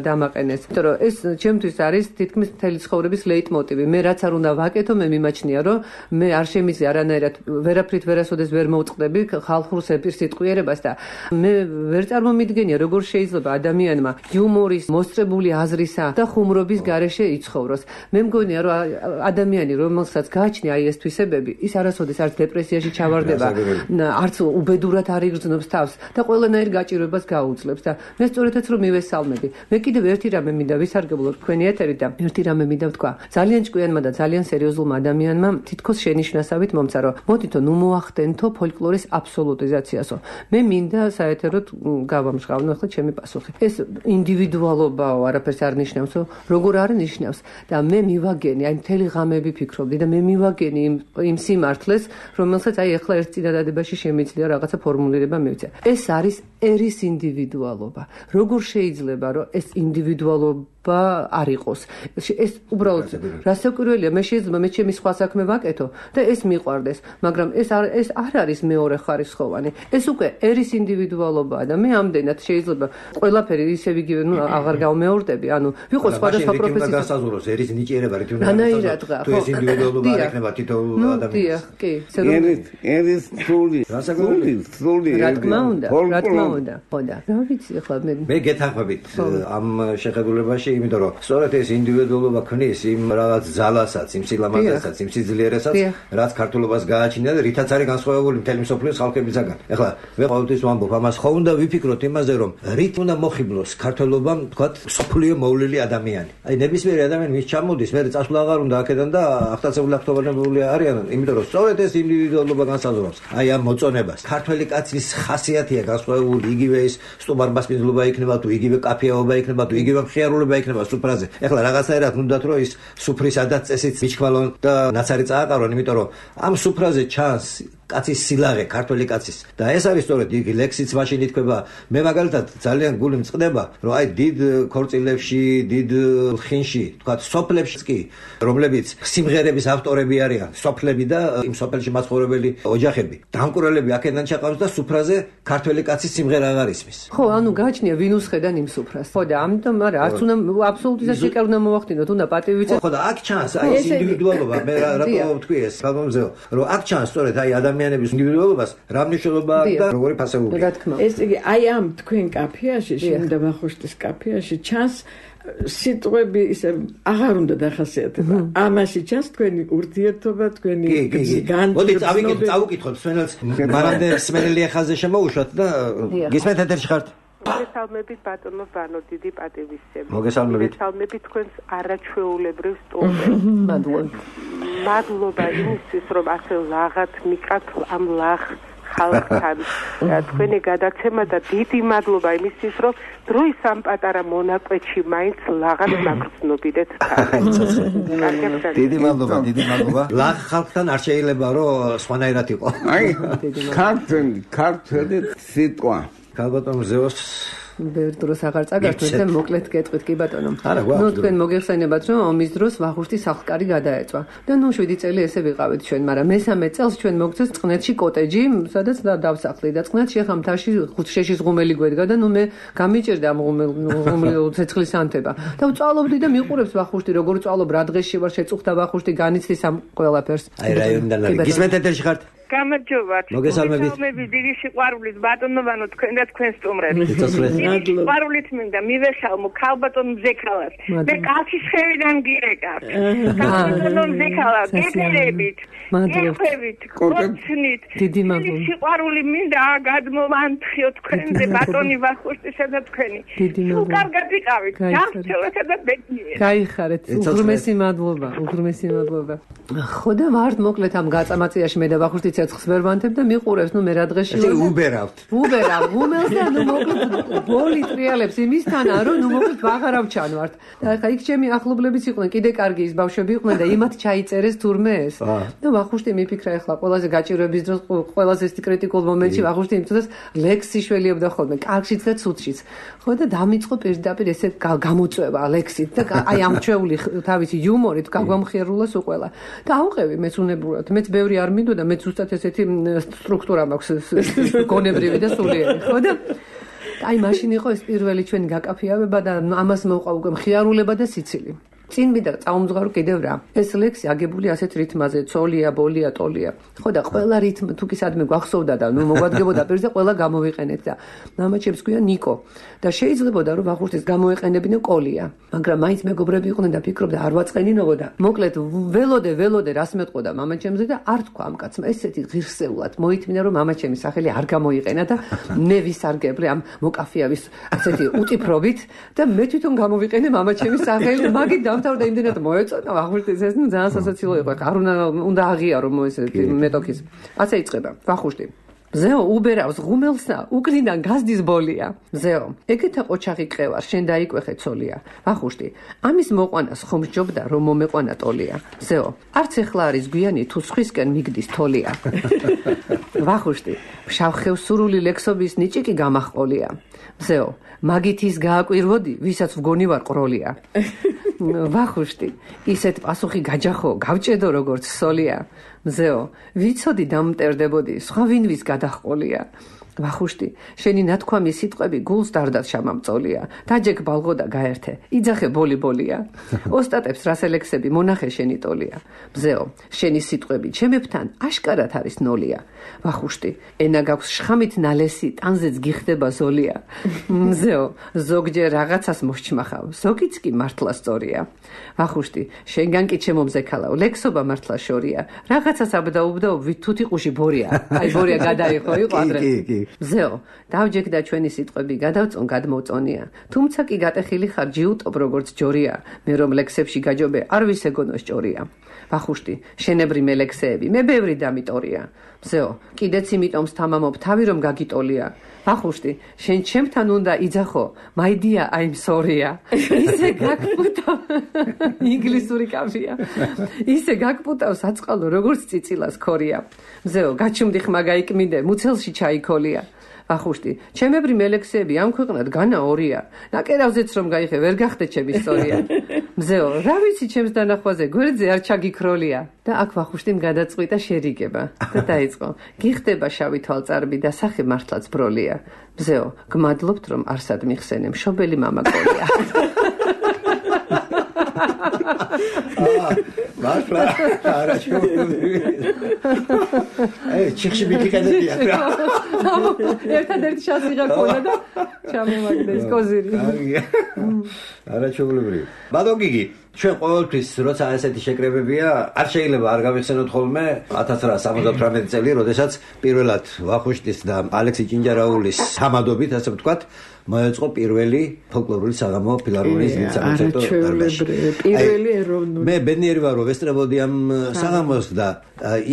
დამაყენეს იმიტომ რომ ეს ჩემთვის არის თითქმის მთელი ცხოვრების ლეიტმოტივი მე რაც არ უნდა ვაკეთო მე მიმაჩნია რომ მე არშემიძე არანაირად ვერაფრით ვერასოდეს ვერ მოვწყდები ხალხურ სეპირსიტყვიერებას და მე ვერ წარმომიდგენია როგორ შეიძლება ადამიანი ადამიანმა იუმორის, მოსწრებული აზრისა და ხუმრობის გარეშე იცხოვროს. მე მგონია, რომ ადამიანი, რომელსაც გააჩნია აი ეს თვისებები, ის არასოდეს არც დეპრესიაში ჩავარდება, არც უბედურად არ იგრძნობს თავს და ყველანაირ გაჭირვებას გაუძლებს და მე სწორედაც რომ მივესალმები. მე კიდევ ერთი რამე მინდა ვისარგებლო თქვენი ეთერი და ერთი რამე მინდა ვთქვა. ძალიან ჭკვიანმა და ძალიან სერიოზულმა ადამიანმა თითქოს შენიშვნასავით მომცა რომ მოდითო ნუ მოახდენთო ფოლკლორის აბსოლუტიზაციასო. მე მინდა საეთეროდ გავამჟღავნო ახლა ჩემი პასუხი. ეს ინდივიდუალობაო, არაფერს არ ნიშნავსო, როგორ არ ნიშნავს და მე მივაგენი, აი მთელი ღამები ფიქრობდი და მე მივაგენი იმ სიმართლეს, რომელსაც აი ახლა ერთ წინადადებაში შემიძლია რაღაცა ფორმულირება მივცე. ეს არის ერის ინდივიდუალობა. როგორ შეიძლება რომ ეს ინდივიდუალობა არ იყოს. ეს უბრალოდ რასაკვირველია, მე შეიძლება მე ჩემი სხვა საქმე ვაკეთო და ეს მიყვარდეს, მაგრამ ეს არ არის მეორე ხარისხოვანი. ეს უკვე ერის ინდივიდუალობაა და მე ამდენად შეიძლება ყველაფერი ისევ იგივე, ნუ აღარ გავმეორდები, ანუ ვიყო სხვადასხვა პროფესიის გასაზრდოს ერის ნიჭიერება რითუნ ანაირად რა, თუ ეს ინდივიდუალობა არ ექნება თითოეულ ადამიანს. კი, ერის სული, რა თქმა უნდა. ხოდა, რა ვიცი ახლა მე გეთანხმებით ამ შეხედულებაში, იმიტომ რომ სწორედ ეს ინდივიდუალობა ქმნის იმ რაღაც ძალასაც, იმ სილამაზესაც, იმ სიძლიერესაც, რაც ქართულობას გააჩნია და რითაც არის განსხვავებული მთელი მსოფლიოს ხალხებისაგან. ეხლა მე ყოველთვის ვამბობ ამას, ხო უნდა ვიფიქროთ იმაზე, რომ რით უნდა მოხიბლოს ქართულობამ, თქვათ, სოფლიო მოვლილი ადამიანი. აი ნებისმიერი ადამიანი მის ჩამოდის, მე წასვლა აღარ უნდა აქედან და აღტაცებული აღტოვანებული არიან, იმიტომ რომ სწორედ ეს ინდივიდუალობა განსაზღვრავს აი ამ მოწონებას. ქართველი კაცის ხასიათია განსხვავებული, იგივე ის სტუმარბასპინძლობა იქნება თუ იგივე კაფეაობა იქნება თუ იგივე მხიარულება იქნება სუფრაზე. ეხლა რაღაცაერად უნდათ რომ ის სუფრის ადაც წესით მიჩქვალონ და ნაცარი წააყარონ, იმიტომ რომ ამ სუფრაზე ჩანს კაცის სილაღე, ქართველი კაცის. და ეს არის სწორედ იგი ლექსიც მაშინ ითქვა. მე მაგალითად ძალიან გული მწყდება, რომ აი დიდ ქორწილებში, დიდ ხინში, თქვათ, სოფლებში კი, რომლებიც სიმღერების ავტორები არიან, სოფლები და იმ სოფელში მაცხოვრებელი ოჯახები. დამკვრელები აქედან ჩაყავს და სუფრაზე ქართველი კაცის სიმღერა აღარ ისმის. ხო, ანუ გააჩნია ვინ usხედან იმ სუფრას. ხო და ამიტომ არა, არც უნდა აბსოლუტიზაცია კი არ უნდა მოახდინოთ, უნდა პატივიცე. ხო და აქ ჩანს აი ეს ინდივიდუალობა, მე რატო ვთქვი ეს, გაგონზეო, რომ აქ ჩანს სწორედ აი ადამიანების ინდივიდუალობას რა მნიშვნელობა აქვს და როგორი ფასეულია. ეს იგი აი ამ თქვენ კაფეაში, შენდა ვახუშტის კაფეაში ჩანს სიტყვები ისე აღარ უნდა დახასიათება. ამაში ჩანს თქვენი ურთიერთობა, თქვენი განწყობა. მოდი წავიკითხოთ სვენელს, მანამდე სმენელი ახალზე შემოუშვათ და გისმენთ ეთერში ხართ. მოგესალმებით ბატონო ბანო, დიდი პატივისცემი. მოგესალმებით თქვენს არაჩვეულებრივ სტუმრებს. მადლობა იმისთვის, რომ ასე ლაღად მიყავთ ამ ლაღ ხალხთან. თქვენი გადაცემა და დიდი მადლობა იმისთვის, რომ დროის ამ პატარა მონაკვეთში მაინც ლაღად მაგრძნობიდეთ თან. დიდი მადლობა. ლაღ ხალხთან არ შეიძლება რომ სხვანაირად იყოს. აი, ქართველი სიტყვა. ქალბატონ ზეოს ბევრ დროს აღარ წაგართვეთ და მოკლედ გეტყვით კი ბატონო. ნუ თქვენ მოგეხსენებათ რომ ომის დროს ვახუშტის სახლკარი გადაეწვა და ნუ 7 წელი ესე ვიყავით ჩვენ, მაგრამ მესამე წელს ჩვენ მოგწეს წყნეთში კოტეჯი, სადაც დავსახლი და წყნეთში ახლა მთაში ხუთშეშის ღუმელი გვედგა და ნუ მე გამიჭერდა ამ ღუმელ ცეცხლის ანთება და ვწვალობდი და მიყურებს ვახუშტი როგორ ვწვალობ, რა დღეში ვარ შეწუხდა ვახუშტი განიცდის ამ ყველაფერს. აი რაიონიდან არის. გისმენთ ეთერში ხართ? გამარჯობათ. მოგესალმებით. დიდი სიყვარულით ბატონო თქვენ და თქვენ სტუმრებს. სიყვარულით მინდა მივესალმო ქალბატონ მზექალას. მე კალთის ხევიდან გირეკავ. ქალბატონ მზექალა, გეფერებით, გეფერებით, კოცნით. დიდი მადლობა. სიყვარული მინდა გადმოვანთხიო თქვენზე ბატონი ვახუშტისა და თქვენი. თუ კარგად ვიყავით, დავწევთ და ბედნიერ. გაიხარეთ. უღრმესი მადლობა. ხო და ვართ მოკლედ ამ გაწამაწიაში მე და ვახუშტი ცეცხლს ვერ ვანთებ და მიყურებს, ნუ მე რა დღეში ვარ. უბერავ, ღუმელს და ნუ მოკლედ ბოლი ტრიალებს იმისთანა, რომ ნუ მოკლედ ვაღარავ ჩანვართ. და ხა იქ ჩემი ახლობლებიც იყვნენ, კიდე კარგი ის ბავშვები იყვნენ და იმათ ჩაიწერეს თურმე ეს. და ვახუშტი მიფიქრა ახლა ყველაზე გაჭირვების დროს, ყველაზე კრიტიკულ მომენტში ვახუშტი იმწოდებს ლექსი შველიებდა ხოლმე, კარგშიც და ცუდშიც. ხო და დამიწყო პირდაპირ ესე გამოწვევა ლექსით და აი ამ ჩვეული თავისი იუმორით გაგვამხიარულას უყველა. და ავყევი მეც უნებურად, მეც ბევრი არ მინდოდა, მეც ზუსტად ესეთი სტრუქტურა მაქვს გონებრივი და სულიერი, ხო და აი მაშინ იყო ეს პირველი ჩვენი გაკაფეავება და ამას მოყვა უკვე მხიარულება და სიცილი. წინ მინდა წაუმძღარო კიდევ რა. ეს ლექსი აგებული ასეთ რითმაზე, ცოლია, ბოლია, ტოლია. ხო და ყველა რითმ თუ კი სადმე გვახსოვდა და ნუ მოგვადგებოდა პირზე ყველა გამოვიყენეთ და მამაჩემს ქვია ნიკო და შეიძლებოდა რომ ვახუშტის გამოეყენებინო კოლია. მაგრამ მაინც მეგობრები იყვნენ და ფიქრობდა არ ვაწყენინებო და მოკლედ ველოდე რას მეტყოდა მამაჩემზე და არ თქვა ამ კაცმა ესეთი ღირსეულად მოითმინა რომ მამაჩემის სახელი არ გამოიყენა და მე ვისარგებლე ამ მოკაფიავის ასეთი უტიფრობით და მე თვითონ გამოვიყენე მამაჩემის სახელი და მაგით დამთავრდა იმდენად მოეწონა ვახუშტის ეს ნუ ძალიან სასაცილო იყო არ უნდა აღიარო ესეთი მეტოქის ასე იწყება ვახუშტი ზეო უბერავს ღუმელსა უკრიდან გაზდის ბოლია ზეო ეგეთა ყოჩაღი ყევარ შენ დაიკვეხე ცოლია ვახუშტი ამის მოყვანას ხომ სჯობდა რომ მომეყვანა ტოლია ზეო არც ეხლა არის გვიანი თუ სხვისკენ მიგდის თოლია ვახუშტი შავხევ სურული ლექსობის ნიჭიკი გამახყოლია ზეო მაგით ის გააკვირვოდი ვისაც ვგონი ვარ ყროლია ვახუშტი ისეთ პასუხი გაჯახო გავჭედო როგორც სოლია მზეო ვიცოდი დამმტერდებოდი სხვა ვინვის გადაჰყოლია ვახუშტი შენი ნათქვამი სიტყვები გულს დარდად შამამწოლია დაჯეკ ბალღო და გაერთე იძახე ბოლია ოსტატებს რასელექსები მონახე შენი ტოლია მზეო შენი სიტყვები ჩემებთან აშკარად არის ნოლია ვახუშტი ენა გაქვს შხამით ნალესი ტანზეც გიხდება ზოლია მზეო ზოგჯერ რაღაცას მოსჩმახავ ზოგიც კი მართლა სწორია ვახუშტი შენგან კი ჩემო მზექალავ ლექსობა მართლა შორია რაღაცას აბდაუბდაო ვით თუთი ყუში ბორია აი ბორია გადაიხო იყო ადრე მზეო დავჯექდა ჩვენი სიტყვები გადავწონ გადმოწონია თუმცა კი გატეხილი ხარ ჯიუტობ როგორც ჯორია მე რომ ლექსებში გაჯობე არ ვისეგონო სჭორია ვახუშტი შენებრი მელექსეები მე ბევრი დამიტორია მზეო კიდეც იმიტომ სთამამობ თავი რომ გაგიტოლია ვახუშტი შენ ჩემთან უნდა იძახო მაიდია I'm sorry-ა ისე გაგპუტავ ინგლისური კაფია ისე გაგპუტავ საწყალო როგორც წიწილას ქორია მზეო გაჩუმდი ხმა გაიკმინდე მუცელში ჩაიქოლია ვახუშტი ჩემებრი მელექსეები ამ ქვეყნად განა ორია ნაკერავზეც რომ გაიხე ვერ გახდე ჩემი სწორია მზეო რა ვიცი ჩემს დანახვაზე გვერდზე არ ჩაგიქროლია და აქ ვახუშტიმ გადაწყვიტა შერიგება და დაიწყო გიხდება შავი თვალწარბი და სახე მართლაც ბროლია მზეო გმადლობთ რომ არსად მიხსენე მშობელი მამა კოლია მართლა არაჩვეულებრივი ჩიხში მიგიყენებია რა ერთადერთი შანსი გაქვს და ჩამოვაგდეს კოზირი არაჩვეულებრივი ბატონ გიგი ჩვენ ყოველთვის როცა ესეთი შეკრებებია არ შეიძლება არ გავიხსენოთ ხოლმე 1978 წელი როდესაც პირველად ვახუშტის და ალექსი ჭინჯარაულის სამადობით ასე ვთქვათ მოეწყო პირველი ფოლკლორული საღამო ფილარმონიის კონცერტო პირველი ეროვნული მე ბედნიერი ვარ რომ ვესწრებოდი ამ საღამოს და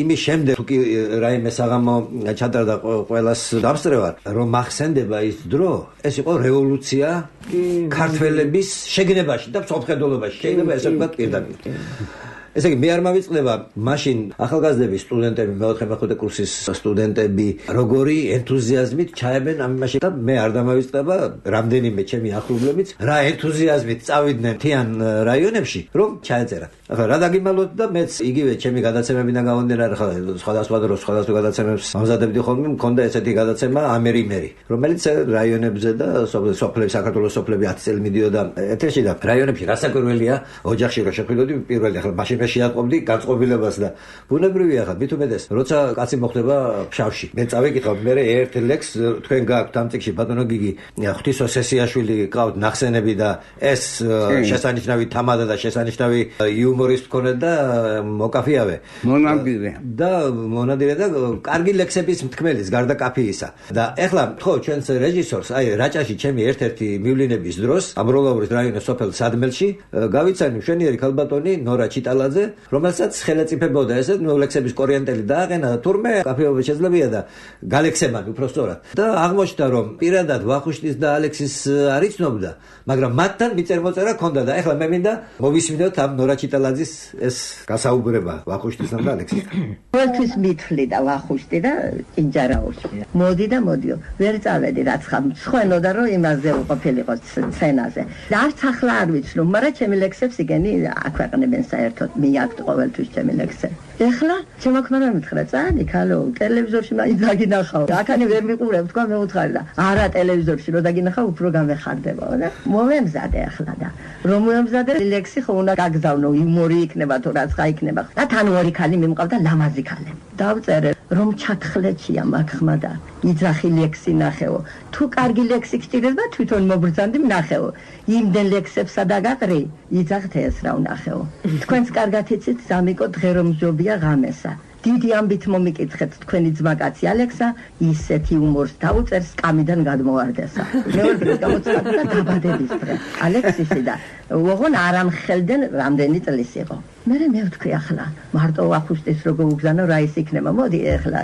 იმის შემდეგ თუ კი რაიმე საღამო ჩატარდა ყველას დამსწრევად რომ მახსენდება ის დრო ეს იყო რევოლუცია ქართველების შეგნებაში და მსოფლმხედველობაში შეიძლება ესე ვთქვათ პირდაპირ ესე იგი მე არ მავიწყდება მაშინ ახალგაზრდების სტუდენტები მეოთხე მეხუთე კურსის სტუდენტები როგორი ენთუზიაზმით ჩაებენ ამ იმაში და მე არ დამავიწყდება რამდენიმე ჩემი ახლობლებიც რა ენთუზიაზმით წავიდნენ თიან რაიონებში რომ ჩაეწერათ ახლა რა დაგიმალოთ და მეც იგივე ჩემი გადაცემებიდან გავონდნენ ახლა სხვადასხვა დროს სხვადასხვა გადაცემებს ამზადებდი ხოლმე მქონდა ესეთი გადაცემა ამერი რომელიც რაიონებზე და სოფლებში საქართველოს სოფლები 10 წელი მიდიოდა ეთერში და რაიონებში რასაკვირველია ოჯახში რო შეხვიდოდი პირველი ახლა მაშინ შეატყობდი განწყობილებას და ბუნებრივია ხა მithumedes როცა კაცი მოხდება ფშავში მე წავიკითხავ მე ერთ ლექს თქვენ გაქვთ ამ წიგში ბატონო გიგი ღვთისო სესიაშვილი ყავთ ნახსენები და ეს შესანიშნავი თამადა და შესანიშნავი იუმორის მქონე და მოკაფიავე მონადირე და კარგი ლექსების მთქმელის გარდა კაფიისა და ეხლა ხო ჩვენს რეჟისორს აი რაჭაში ჩემი ერთ-ერთი მივლინების დროს ამროლაურის რაიონის სოფელ სადმელში გავიცანი მშვენიერი ქალბატონი ნორა ჩიტალაძე რომელსაც ხელეწიფებოდა ესე ლექსების კორიენტელი დააყენა და თურმე კაფეობა შეძლებია და გალექსებან უფრო სწორად და აღმოჩნდა რომ პირადად ვახუშტის და ალექსის არ იცნობდა მაგრამ მათთან მიწერმოწერა ჰქონდა და ეხლა მე მინდა მოვისმინოთ ამ ნორა ჩიტალაძის ეს გასაუბრება ვახუშტისთან და ალექსისთან ყველთვის მithli და ვახუშტი და ჭინჯარაუში მოდი და მოდიო ვერ წავედი რაც ხამ სხვენოდა რომ იმაზე უყოფილიყო სცენაზე და არც ახლა არ ვიცნობ მაგრამ ჩემი ლექსებს იგენი აქვეყნებენ საერთოდ მიაკთ ყოველთვის ჩემი ლექსები ეხლა შემოქმედა მითხრა წადი ქალო ტელევიზორში მაინც დაგინახავ აქანი ვერ მიყურებ თქვა მე უთხარი და არა ტელევიზორში რო დაგინახავ უფრო გამეხარდებაო და მომემზადე ახლა და რომ მოემზადე ლექსი ხო უნდა გაგზავნო იუმორი იქნება თუ რაც ხა იქნება და თან ორი ქალი მიმყავდა ლამაზი ქალი დავწერე რომ ჩათხლეთია მაგ ხმა და იძახი ლექსი ნახეო თუ კარგი ლექსი გჭირდება თვითონ მოგბრძანდი ნახეო იმდენ ლექსებსა დაგაყრი იძახთ ეს რა ვნახეო თქვენს კარგად იცით ზამიკო დღე რომ მზობია ღამესა დიდი ამბით მომიკითხეთ თქვენი ძმაკაცი ალექსა ისეთი იუმორს დაუწერს კამიდან გადმოვარდესა მეორე დღეს გამოცხადდა დაბადების დღე ალექსისი და ოღონ არ ამხელდნენ რამდენი წლის იყო მე ვთქვი ახლა მარტო ახუშტის როგორ უგზანო რა ის იქნება მოდი ახლა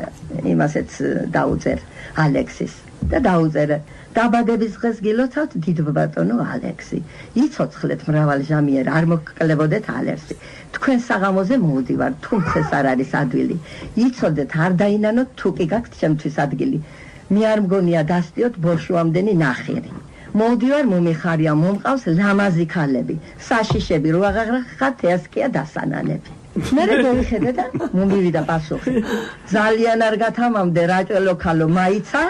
იმასეც დაუწერ ალექსის და დაუწერე დაბადების დღეს გილოცავთ დიდ ბატონო ალექსი იცოცხლეთ მრავალ ჟამიერ არ მოგკლებოდეთ ალერსი თქვენ საღამოზე მოვდივარ თუმცა ეს არ არის ადვილი იცოდეთ არ დაინანოთ თუ კი გაქვთ ჩემთვის ადგილი მე არ მგონია დასტიოთ ბორშუამდენი ნახირი მოვდივარ მომიხარია მომყავს ლამაზი ქალები საშიშები რო აღაღრახათ ესკია დასანანები მე მივიხედე და მომივიდა პასუხი ძალიან არ გათამამდე რაჭველო ქალო მაიცა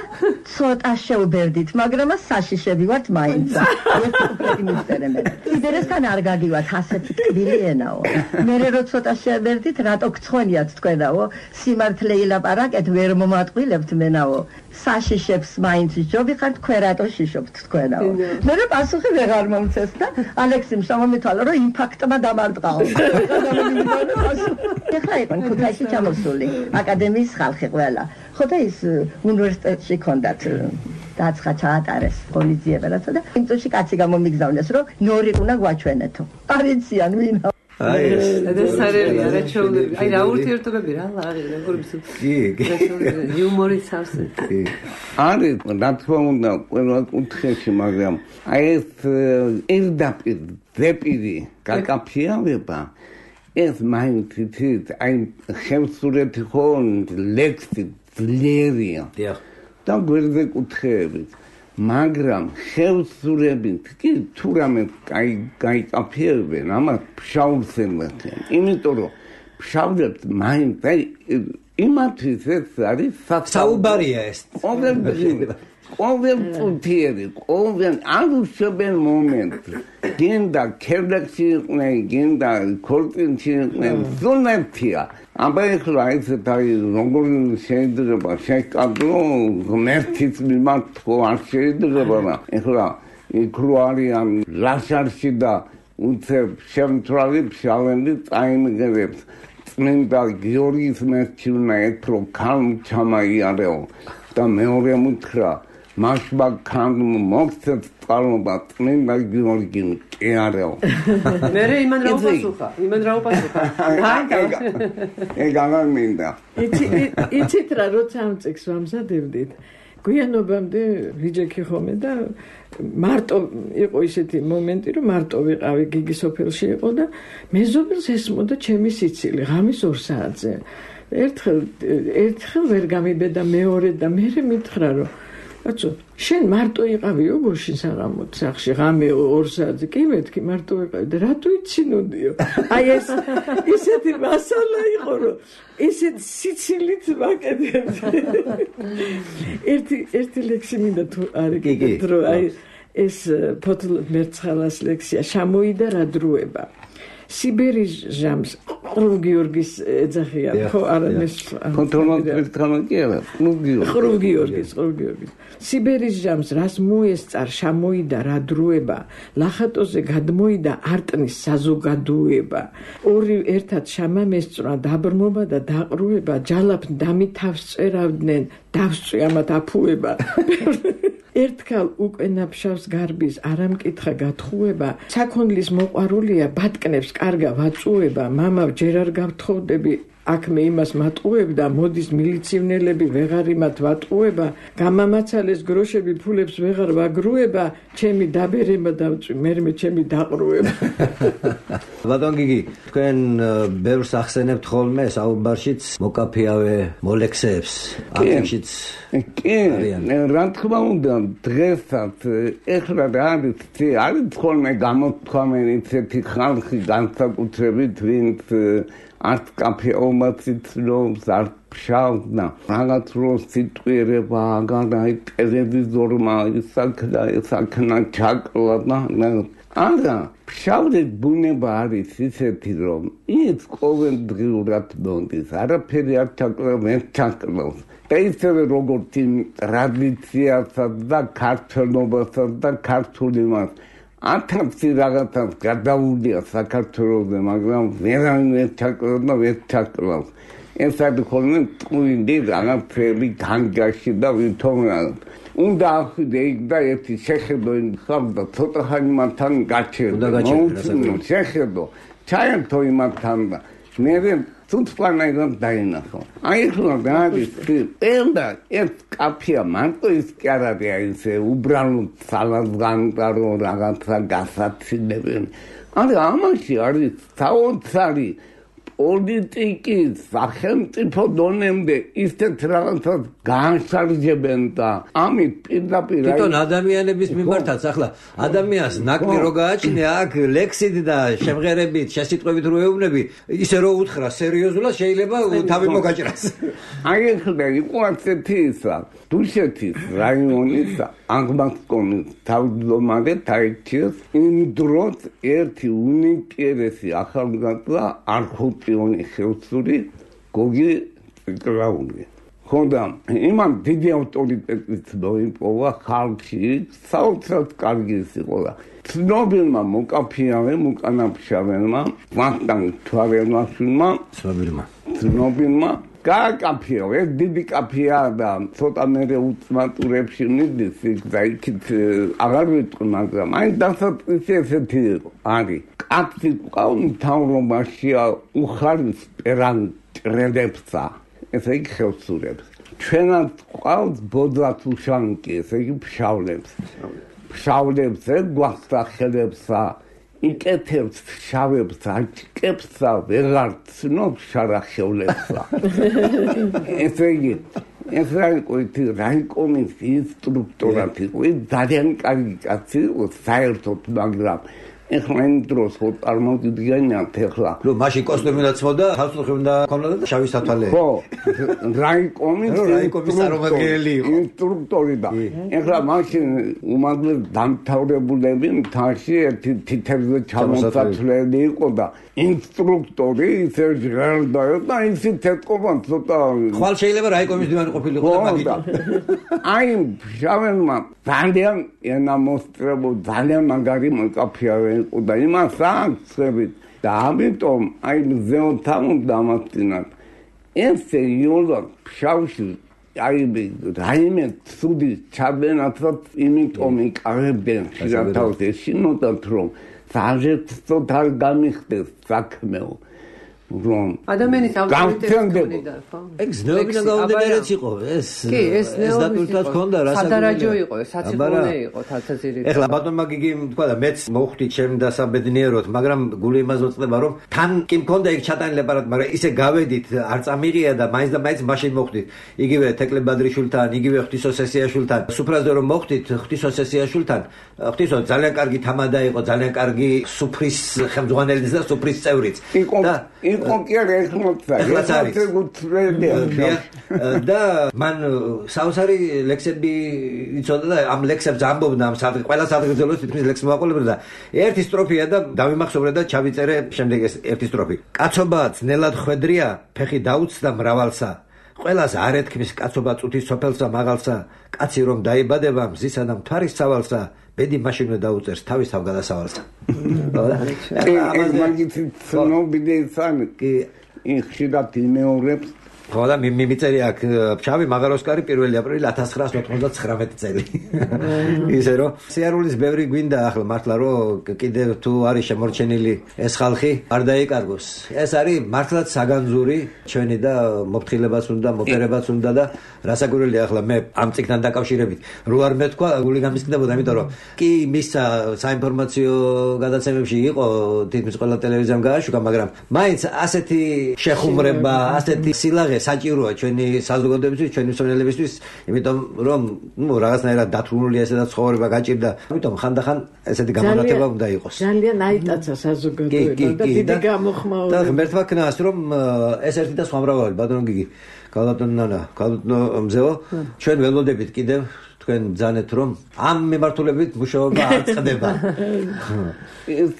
ცოტა შევბერდით მაგრამ საშიშები ვართ მაინცა ეს უკრეთი მისწერე მე იდერესთან არ გაგივათ ასეთი ტკბილი ენაო მე რო ცოტა შევბერდით რატო გცხვენიათ თქვენაო სიმართლე ილაპარაკეთ ვერ მომატყვილებთ მენაო საშიშებს მაინც ჯობიხართ თქვენ რატო შიშობთ თქვენაო მე პასუხი ვეღარ მომცეს და ალექსიმ შემომითვალა რომ იმპაქტმა დამარტყაო ეხლა იყო ქუთაისში ჩამოსული აკადემიის ხალხი ყველა ხო და ის უნივერსიტეტში ქონდათ დაცხა ჩაატარეს ღონისძიებელაცა და იმ წუთში კაცი გამომიგზავნეს რომ ნორი უნდა გვაჩვენეთო არიციან ვინა აი ეს არერია რა ჩაულები აი რა ურთიერთობები რა ლაღი როგორ კი იუმორი სავსე არის რა თქმა უნდა ყველა კუთხეში მაგრამ აი ეს ერთდაპირ ზეპირი გაკაფიავება ეს მაინც იცით აი ხევსურეთი ხო ლექსი ძლიერია და გვერდზე კუთხეებით მაგრამ ხევსურებით კი თუ რამე გაიკაფიებენ ამას ფშაურს ემართიან იმიტომ რომ ფშავრებს მაინც აი იმათთვის ეს არის საუბარია ეს ყოველწუთიერი ყოველ არუშებენ მომენტი გინდა ქერდაკში იყვნენ გინდა ქორწინში იყვნენ ზონეთია აბა ეხლა ესეთ აი როგორ შეიძლება შეკადრო ღმერთის მიმართ ხო არ შეიძლება ეხლა იქ რო არიან ლაშარში და უცებ შემთვრალი ფშავენდი წაიმგერებს წმინდა გიორგის მერჩი უნდა ეთრო ქალ ჩამაიარეო და მეორე მუთხრა მაშბა ქან მოგცეთ წყალობა წმინდა გიორგი კი არაო მე იმან რა უპასუხა ეგ მინდა იცით რა როცა ამ წიგს ვამზადებდით გვიანობამდე ვიჯექი ხომე და მარტო იყო ისეთი მომენტი რომ მარტო ვიყავი გიგი სოფელში იყო და მეზობელს ესმოდა ჩემი სიცილი ღამის 2 საათზე ერთხელ ვერ გამიბედა მეორე და მე მითხრა რომ აცო შენ მარტო იყავიო გუშინ საღამოთ სახში ღამე 2 საათზე კი მეთქი მარტო იყავი და რატო იცინოდიო აი ეს ისეთი მასალა იყო რომ ისეთ სიცილით ვაკეთებ ერთი ლექსი მინდა თუ არის დრო აი ეს ფოთლ მერცხალას ლექსია შამოიდა რა დროება სიბერის ჟამს ხრუვ გიორგის ეძახია ხო არა ეს ხრუვ გიორგის სიბერის ჟამს რას მოესწარ შამოიდა რა დროება ლახატოზე გადმოიდა არტნის საზოგადოება ორი ერთად შამამ ესწრა დაბრმობა და დაყრუება ჯალაფ დამითავს წერავდნენ დავსწვი ამათ აფუება ერთხელ უკვე ნაფშავს გარბის არამკითხა გათხოვება საქონლის მოყვარულია ბატკნებს კარგა ვაწუება მამავ ჯერ არ გავთხოვდები აქ მე იმას მატყუებდა მოდის მილიციონერები ვეღარ იმათ ვატყუება გამამაცალეს გროშები ფულებს ვეღარ ვაგრუება ჩემი დაბერება დავწვი მე ჩემი დაყრუება ბატონ გიგი თქვენ ბევრს ახსენებთ ხოლმე საუბარშიც მოკაფიავე მოლექსეებს აკეთშიც კი რა თქმა უნდა დღესაც ეხლა რა არის ხოლმე გამოთქვამენი ცეთი ხალხი განსაკუთრებით ვინც art კაფე ომაციც არ ფშავდა რაღაც რო სიტყვიერება აგარ აი ტელევიზორმა ისაქნა ჩაკლა და არა, ფშავდი ბუნება არის ისეთი, რომ ის ყოველდღიურად მონდის, არაფერი არ ჩაკლავს. და ისევე როგორც იმ ტრადიციასა და ქართველობასა და ქართული მას 1000 რაღაცას გადაუდია საქართველოსზე, მაგრამ ვერავინ ვერ ჩაკლავს. ეს არის ხოლმე ტყუილი რაღაცები განგაში და ვითომ უნდა ახვიდე იქ და ერთი შეხედო ხალხა ცოტა ხანი მათთან გაჩერდა. შეხედო, ჩაერთო იმათთან და მე თუთფლანაიდან დაინახო. აი ხლა გადის პენდა ეს კაფეა მარტო ის კი არ არის ესე უბრალოდ სალადგანტარო რაღაცა გასაცინებენ. არა ამაში არის საოცარი პოლიტიკის სახელმწიფო დონემდე ისეთ რაღაცას განსარჯებენ და ამით პირდაპირ თვითონ ადამიანების მიმართაც ახლა ადამიანს ნაკლი რო გააჩნია აქ ლექსით და შემღერებით შესიტყვებით რო ეუბნები ისე რო უთხრა სერიოზულად შეიძლება თავი მოგაჭრას. აი ხდა იყო ასეთი ისა დუშეთის რაიონის აღმასკომის თავმჯდომარე თაიჩის იმ დროს ერთი უნიკიერესი ახალგაზრდა არქოტიონი ხელსური გოგი კრაული. ხოდა იმან დიდი ავტორიტეტით მოიპოვა ხალხი, საოცრად კარგი იყო და ცნობილმა მოკანაფშავენმა ვახტანგ თვარელაშვილმა ცნობილმა გააკაფეო, ეს დიდი კაფეა და ცოტა მერე უცმატურებში მიდის და იქით აღარ ვიტყვი, მაგრამ აი დასაწყისი ესეთი არის. კაცი ყავი თავრობაშია უხარის პერანტრელებსა, ესე იგი ხელსურებს. ჩვენაც ყავს ბოდლათ უშანკი, ესე იგი ფშავლებს. ფშავლებს გვახსახელებსა იკეთებს შავებს აჭკებსა ვეღარ ცნობს შარახევლებსა. ესე იგი ეს რაიკომის ინსტრუქტორად იყო ძალიან კარგი კაცი იყო საერთოდ, მაგრამ ეხლა იმ დროს ხო წარმოგიდგენიათ ეხლა რომ მაშინ კოსტუმი უნდა წმოდა, ხალხი უნდა ქონოდა და შავი სათვალე. ხო, რაიკომის წარმომადგენელი იყო. ინსტრუქტორი და ეხლა მაშინ უმაღლეს დამთავრებულები მთაში ერთი თითებზე ჩამოსაცვლელი იყო და ინსტრუქტორი ისე ჟღერდა და ისიც ეთყობა ცოტა ხვალ შეიძლება რაიკომის დივანი ყოფილიყო და მაგით. აი შავენმა ძალიან ენამოსტრებო ძალიან მაგარი მოკაფეა და იმას აღწევით და ამიტომ აი მზეონთან დამასწინათ ესე იოლა ფშავში აი რაიმე ცუდი ჩაბენათაც იმიტომ იკავებდნენ ხილათავს ეშინოდათ რომ საერთოდ არ გამიხდეს საქმეო რომ ადამიანის ავტორიტეტი და ხო? ეგ ზნეობიდან გაუდგენელიც იყო ეს. კი, ეს დატვირთვაც ჰქონდა რასაკურველია. სადარაჯო იყო, საციხურე იყო თალთაზირით. ეხლა ბატონმა გიგი თქვა და მეც მოვხვდი ჩემ დასაბედნიეროდ, მაგრამ გული იმას მოწდება რომ თან კი მქონდა იქ ჩატანილი აპარატი, მაგრამ ისე გავედით არ წამირია და მაინც მაშინ მოვხვდით. იგივე თეკლე ბადრიშვილთან, იგივე ღვთისოსესიაშვილთან. სუფრაზე რომ მოვხვდით ღვთისოსესიაშვილთან, ღვთისო ძალიან კარგი თამადა იყო, ძალიან კარგი სუფრის ხელმძღვანელიც და სუფრის წევრიც. იყო კი არა ეხმოცა და მან საოცარი ლექსები იცოდა და ამ ლექსებს ამბობდა ამ ყველა სადღეგრძელოს თითქმის ლექსი მოაყოლებდა და ერთი სტროფია და დავიმახსოვრე და ჩავიწერე შემდეგ ეს ერთი სტროფი. კაცობა ძნელად ხვედრია, ფეხი დაუცდა მრავალსა. ყველას არ ეთქმის კაცობა წუთის სოფელსა მაღალსა. კაცი რომ დაიბადება მზისა და მთვარის სავალსა. ბედი მაშინვე დაუწერს თავის თავ გადასავალსა. ეს მაგით ცნობილი სანი კი ხშირად იმეორებს ხო და მიმიწერი აქ ფშავი მაღაროსკარი 1 აპრილი 1999 წელი. ისე რომ სიარულის ბევრი გვინდა ახლა მართლა რომ კიდევ თუ არის შემორჩენილი ეს ხალხი არ დაიკარგოს. ეს არის მართლაც საგანძური ჩვენი და მოფრთხილებაც უნდა, მოპერებაც უნდა და რასაკვირველია ახლა მე ამ წიგნთან დაკავშირებით რო არ მეთქვა გული გამისკდებოდა, იმიტომ რომ კი მისცა საინფორმაციო გადაცემებში იყო თითქმის ყველა ტელევიზიამ გააშუქა, მაგრამ მაინც ასეთი შეხუმრება, ასეთი სილაღე საჭიროა ჩვენი საზოგადოებისთვის, ჩვენი მსმენელებისთვის, იმიტომ რომ რაღაცნაირად დათრუნულია ესედა ცხოვრება გაჭირდა. ამიტომ ხანდახან ესეთი გამონათება უნდა იყოს. ძალიან აიტაცა საზოგადოება და დიდი გამოხმაურება. და ღმერთმა ქნას რომ ეს ერთი და სხვა მრავალი ბატონო გიგი, გალატონ ნანა, გალატონ მზეო, ჩვენ ველოდებით კიდევ თქვენ ბრძანეთ რომ ამ მიმართულებით მუშაობა არ წყდება. ეს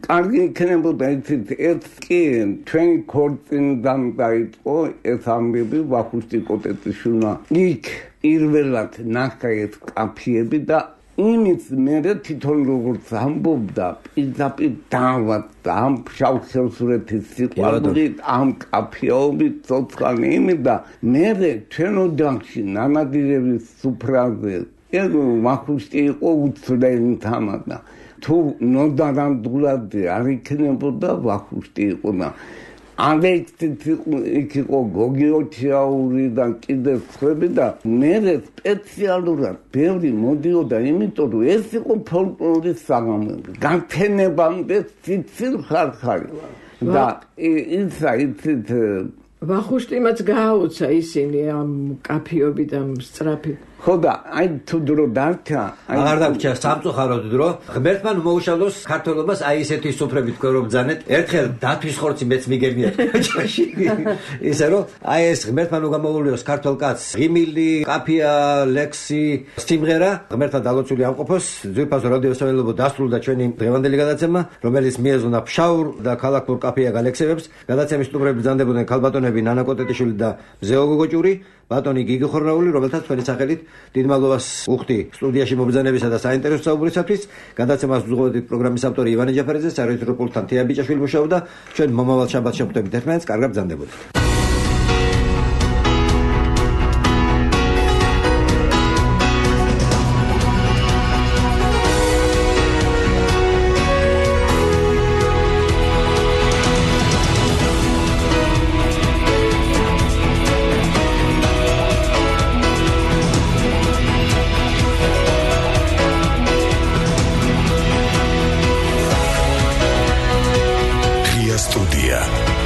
კარგი იქნებოდა იცით ერთ კი ჩვენი ქორწინიდან დაიწყო ეს ამბები ვახუშტი კოტეტიშვილმა იქ პირველად ნახა ეს კაფეები და იმის მერე თვითონ როგორც ამბობდა პირდაპირ დავაწყდა ამ ფშავ-ხევსურეთის სიყვარულით ამ კაფეობით ცოცხალი იმით და მერე ჩვენ ოჯახში ნანადირების სუფრაზე ეს ვახუშტი იყო უცვლელი თამადა თუ ნოდარანდულად არ იქნებოდა ვახუშტი იყო და იქ იყო გოგი ოჩაური და კიდე სხვები და მე სპეციალურად ბევრი მოდიოდა იმიტომ რომ ეს იყო ფოლკლორის საღამოები განთენებამდე ციცილ ხარხარი და იცით ვახუშტიმაც გააუცა ისინი ამ კაფეობით ამ სწრაფი ხო და აი თუ დრო დარჩა აღარ დარჩა სამწუხაროდ დრო ღმერთმა მოუშალოს ქართველობას აი ესეთი სუფრებით თქვენ რომ ბძანეთ ერთხელ დათვის ხორცი მეც მიგებია ჭაში ისე რომ აი ეს ღმერთმა გამოვულიოს ქართველ კაცს ღიმილი კაფია ლექსი სიმღერა ღმერთმა დალოცული ამყოფოს ძვირფას რადიო სამეილობო დასრულდა ჩვენი დღევანდელი გადაცემა რომელიც მიეზონა ფშაურ და ქალაქურ კაფეა გალექსებებს გადაცემის სტუმრები ბრძანდებოდნენ ქალბატონები ნანა კოტეტიშვილი და მზეო გოგოჭური ბატონი გიგი ხორნაული რომელთაც თქვენი სახელით დიდ მადლობას უხდი სტუდიაში მობრძანებისა და საინტერესო საუბრისათვის გადაცემას უძღვებით პროგრამის ავტორი ივანე ჯაფარიძე საერთო რეპორტერ თეა ბიჭაშვილი მუშაობდა ჩვენ მომავალ შაბათს შევხვდებით ერთმანეთს კარგად ბრძანდებოდეთ Studia.